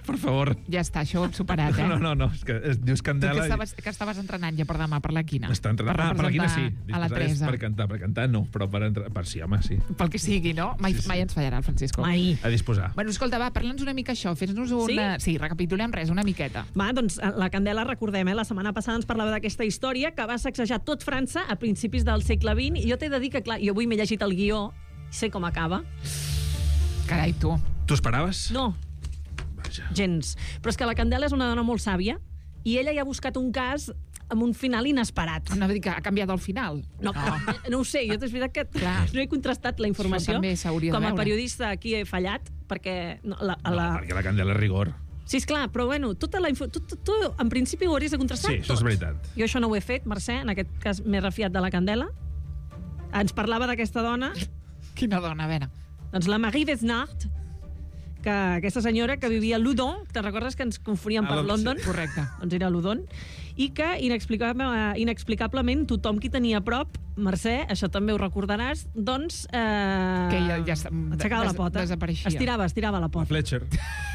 Per favor. Ja està, això ho hem superat, eh? No, no, no, és que es, dius Tu Candela... que estaves, que estaves entrenant ja per demà, per la quina? Està entrenant. Ah, per la quina sí. A la És Teresa. Per cantar, per cantar no, però per, entre... per sí, home, sí. Pel que sigui, no? Mai, Sí, sí. mai ens fallarà el Francisco. Mai. A disposar. Bueno, escolta, va, parla'ns una mica això, fes-nos una... Sí? sí, recapitulem res, una miqueta. Va, doncs la Candela, recordem, eh? La setmana passada ens parlava d'aquesta història que va sacsejar tot França a principis del segle vint, i jo t'he de dir que, clar, jo avui m'he llegit el guió, sé com acaba. Carai, tu. Tu esperaves? No, Vaja. gens. Però és que la Candela és una dona molt sàvia i ella ja ha buscat un cas amb un final inesperat. No, dir que ha canviat el final. No, no. no ho sé, jo és veritat que Clar. no he contrastat la informació. Això també s'hauria de Com a veure. periodista aquí he fallat, perquè... No, la, No, la... perquè la Candela és rigor. Sí, esclar, però bueno, tota la info... tu, tu, tu, en principi ho hauries de contrastar Sí, això és tot. veritat. Jo això no ho he fet, Mercè, en aquest cas m'he refiat de la Candela. Ens parlava d'aquesta dona, Quina dona, a veure. doncs la Marie Besnart, que aquesta senyora que vivia a Loudon, te'n recordes que ens confoníem A per Londres, London? sí. Correcte. Doncs era a Loudon, i que inexplicable, inexplicablement tothom qui tenia a prop, Mercè, això també ho recordaràs, doncs... Eh, Que ja- ja està- aixecava la des- pota. desapareixia. Estirava, estirava la La pota. Fletcher.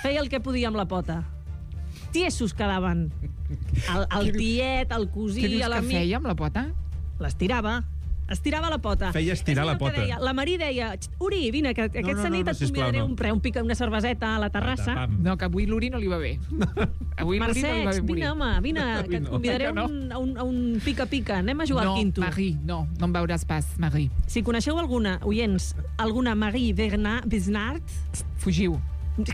Feia el que podia amb la pota. Tiesos quedaven. El, el Què dius- tiet, el Què cosí, dius que l'amic... feia amb la pota? L'estirava. Estirava la pota. Feia estirar És allò la que pota. Deia, la Marí deia, Uri, vine, que aquesta no, no, nit no, et sisplau, convidaré no. un, pre, un pica, una cerveseta a la terrassa. Pam. No, que avui l'Uri no li va bé. Avui l'Uri no li va Mercè, bé morir. vine, home, vine, que et no. convidaré a Que no. un, a un, a un pica-pica. Anem a jugar no, al quinto. Marie, no, no em veuràs pas, Marie. Si coneixeu alguna, oients, alguna Marie Bernard, Besnart, Fugiu.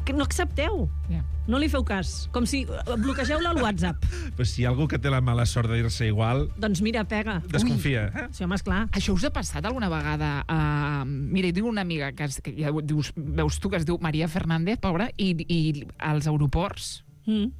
que no accepteu. Ja. No li feu cas. Com si eh, bloquegeu-la al WhatsApp. Però si hi ha algú que té la mala sort de dir-se igual, Doncs mira, pega. desconfia. Eh? Sí, home, esclar. Això us ha passat alguna vegada? Uh, mira, jo tinc una amiga que, es, que ja dius, veus tu que es diu Maria Fernández, pobra, i, i als aeroports, Mm.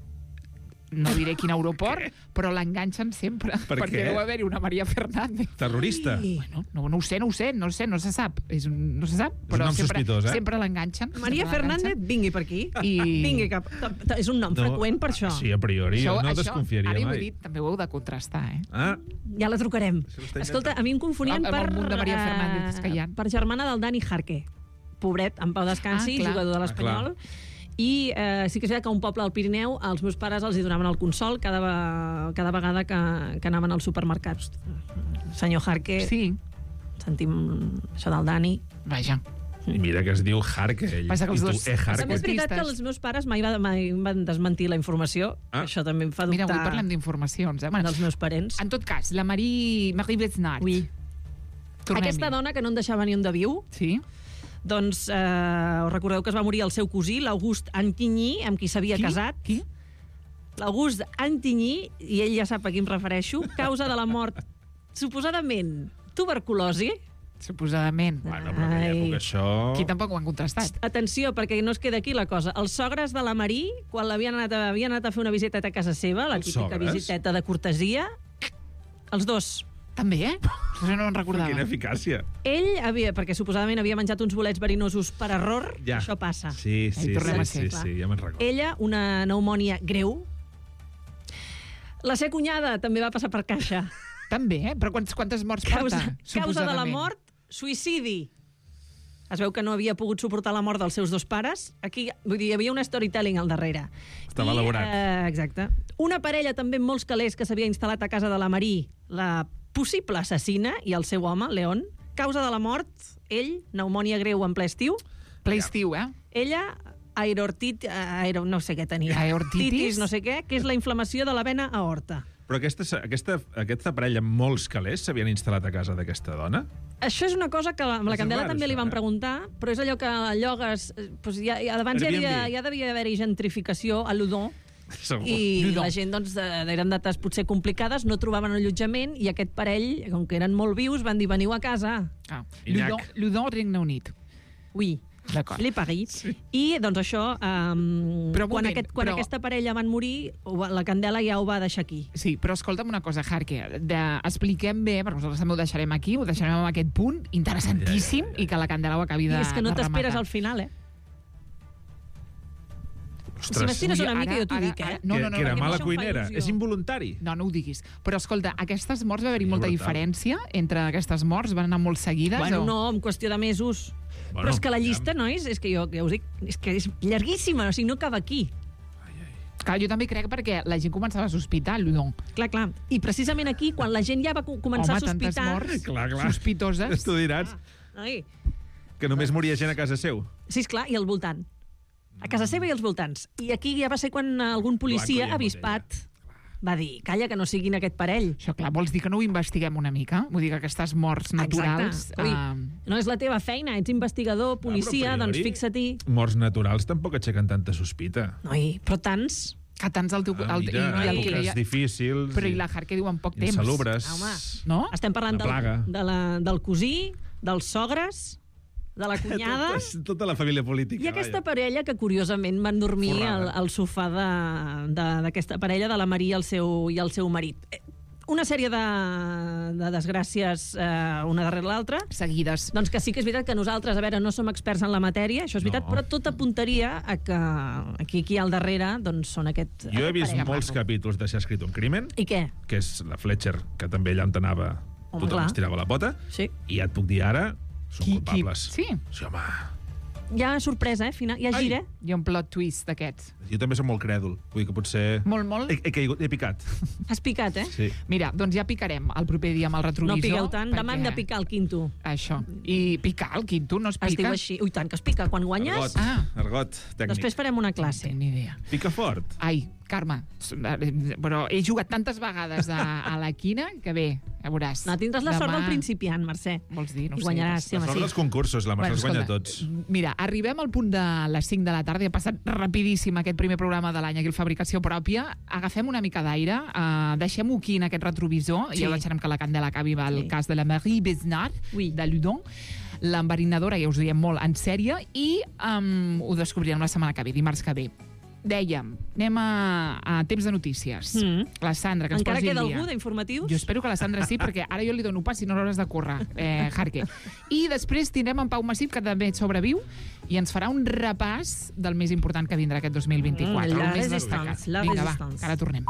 no diré quin aeroport, però l'enganxen sempre. Per perquè què? deu haver-hi una Maria Fernández. Terrorista. Ai. Bueno, no, no ho sé, no ho sé, no ho sé, no se sap. És un, no se sap, un però nom sempre, sospitós, eh? sempre l'enganxen. Maria sempre Fernández, l'enganxen. vingui per aquí. I- Vingui, que, que, que és un nom freqüent per això. Sí, a priori, jo no això, desconfiaria ara ho he mai. dit, també ho heu de contrastar, eh? Ah, Ja la trucarem. Això ho està Escolta, a mi em confonien Amb- amb per... el munt de Maria eh, Fernández que hi ha. Per germana del Dani Jarque. Pobret, en pau descansi, Ah, clar. jugador de Ah, l'Espanyol. I eh, sí que és veritat que a un poble al Pirineu els meus pares els hi donaven el consol cada, cada vegada que, que anaven als supermercats. Senyor Jarque, sí. sentim això del Dani. Vaja. I mira que es diu Jarque, ell. Passa que els I tu, dos- eh, Jarque. També és veritat que els meus pares mai, va, mai van desmentir la informació. Ah. Això també em fa dubtar. Mira, avui parlem d'informacions, eh? Bueno, dels meus parents. En tot cas, la Marie, Marie Besnard. Oui. Aquesta dona que no en deixava ni un de viu, sí. doncs eh, us recordeu que es va morir el seu cosí, l'August Antigny, amb qui s'havia Qui? casat. Qui? L'August Antigny, i ell ja sap a qui em refereixo, causa de la mort, suposadament, tuberculosi. Suposadament. Bueno, però en aquella època això... Aquí tampoc ho han contrastat. Atenció, perquè no es queda aquí la cosa. Els sogres de la Marí, quan l'havien anat, a, havien anat a fer una visiteta a casa seva, la Els típica sogres? visiteta de cortesia, els dos. També, eh? Això no en recordava. Quina eficàcia. Ell havia, perquè suposadament havia menjat uns bolets verinosos per error, Ja. això passa. Sí, sí, Ahí tornem sí, a sí, ser, sí, clar. ja me'n recordo. Ella, una pneumònia greu. La seva cunyada també va passar per caixa. També, eh? Però quantes, quantes morts Causa, porta? causa de la suposadament? mort, suïcidi. Es veu que no havia pogut suportar la mort dels seus dos pares. Aquí, vull dir, hi havia un storytelling al darrere. Estava I, elaborat. Eh, exacte. Una parella també amb molts calés que s'havia instal·lat a casa de la Marí, la possible assassina, i el seu home, León. Causa de la mort, ell, pneumònia greu en ple estiu. Ple estiu, eh? Ella, aortit, aero, no sé què tenia. Aortitis? Titis, no sé què, que és la inflamació de la vena aorta. Però aquesta, aquesta, aquesta parella amb molts calés s'havien instal·lat a casa d'aquesta dona? Això és una cosa que amb la És Candela raro, també li això, van eh? preguntar, però és allò que a llogues... eh, Doncs ja, ja, abans ja, havia, Airbnb. ja devia haver-hi gentrificació a Ludon, Segur. i Ludon. la gent, doncs, de- eren dates potser complicades, no trobaven allotjament, i aquest parell, com que eren molt vius, van dir, veniu a casa. Ah. Inyac. Ludon, Ludon, Regne Unit. Oui. D'acord. Le Paris. Sí. I, doncs, això, um, Però un quan, moment, aquest, quan però- aquesta parella van morir, ho va- la Candela ja ho va deixar aquí. Sí, però escolta'm una cosa, Jarque, de, expliquem bé, perquè nosaltres també ho deixarem aquí, ho deixarem en aquest punt interessantíssim, Ja, ja, ja, ja. i que la Candela ho acabi de I és que no de t'esperes rematar. al final, eh? Ostres, Si m'estires Ui, una mica, ara- jo t'ho ara- dic, eh? ara- no, no, no, que era perquè mala això em fa cuinera. il·lusió. És involuntari. No, no ho diguis. Però escolta, aquestes morts va haver-hi És molta brutal. diferència entre aquestes morts? Van anar molt seguides? Bueno, o... no, en qüestió de mesos. Bueno, Però és que la ja. llista, nois, és que jo ja us dic, és que és llarguíssima, o sigui, no acaba aquí. Clar, jo també crec perquè la gent començava a sospitar, Ludon. Clar, clar. I precisament aquí, quan la gent ja va co- començar Home, a sospitar... tantes morts Clar, clar. sospitoses. Tu diràs Ai, que només moria gent a casa seu. sí, esclar, i al voltant. A casa seva i als voltants. I aquí ja va ser quan algun policia Blanco i avispat va dir, calla, que no siguin aquest parell. Això, clar, vols dir que no ho investiguem una mica? Vull dir que aquestes morts naturals... Exacte. Ui, eh, no és la teva feina, ets investigador, policia, a doncs priori, fixa-t'hi. Morts naturals tampoc aixequen tanta sospita. Noi, però tants... que tants el teu... Ah, el, mira, i, i el que èpoques deia- difícils. Però i la Jarque diu en poc temps. Insalubres. Home, No? estem parlant Una del, plaga. de la, del cosí, dels sogres, de la cunyada... Tota, tota la família política. I aquesta vaja. parella que, curiosament, van dormir al, Forrada. al sofà de- de- d'aquesta parella, de la Maria i el seu, i el seu marit. Eh, Una sèrie de, de desgràcies, eh, una darrere l'altra. Seguides. Doncs que sí que és veritat que nosaltres, a veure, no som experts en la matèria, això és veritat, No. però tot apuntaria a que aquí, aquí al darrere doncs, són aquest... Jo he aquest vist parell. molts capítols de S'ha escrit un crimen, I què? que és la Fletcher, que també allà on anava Home, tothom clar. es tirava la pota, Sí. i ja et puc dir ara, són Qui- qui- culpables. sí? Sí, home. Hi ha sorpresa, eh? Final. Hi ha Ai. gir, eh? Hi ha un plot twist d'aquests. Jo també soc molt crèdul, vull dir que potser... Molt, molt. He, he, caigut, he picat. Has picat, eh? Sí. Mira, doncs ja picarem el proper dia amb el retrovisor. No piqueu tant, perquè- demà hem de picar el quinto. Això. I picar el quinto no es pica? Es diu així. Ui, tant que es pica. Quan guanyes, Argot, Ah. argot tècnic. després farem una No classe. tinc ni idea. Pica fort. Ai, Carme, però he jugat tantes vegades a, a la quina que bé, ja veuràs. No, tindràs la sort Demà- del principiant, Mercè. Vols dir? No ho I sé. guanyaràs, sí, La home, sort sí. dels concursos, la Mercè els guanya escolta, tots. Mira, arribem al punt de les cinc de la tarda i ha passat rapidíssim aquest primer programa de l'any aquí al Fabricació Pròpia. Agafem una mica d'aire, uh, deixem-ho aquí en aquest retrovisor Sí. i ja deixarem que la Candela acabi amb el Sí. cas de la Marie Besnard, Oui. de Ludon. L'enverinadora, ja us ho diem molt en sèrie, i um, ho descobrirem la setmana que ve, dimarts que ve. Dèiem, anem a, a temps de notícies. Mm. La Sandra, que ens Encara posi queda al dia. algú d'informatius? Jo espero que la Sandra sí, perquè ara jo li dono pas i no l'hauràs de córrer, eh, Jarque. I després tindrem en Pau Massip, que també sobreviu, i ens farà un repàs del més important que vindrà aquest dos mil vint-i-quatre. Mm, la el més resistance, destacat. la Vinga, va, resistance. que ara tornem.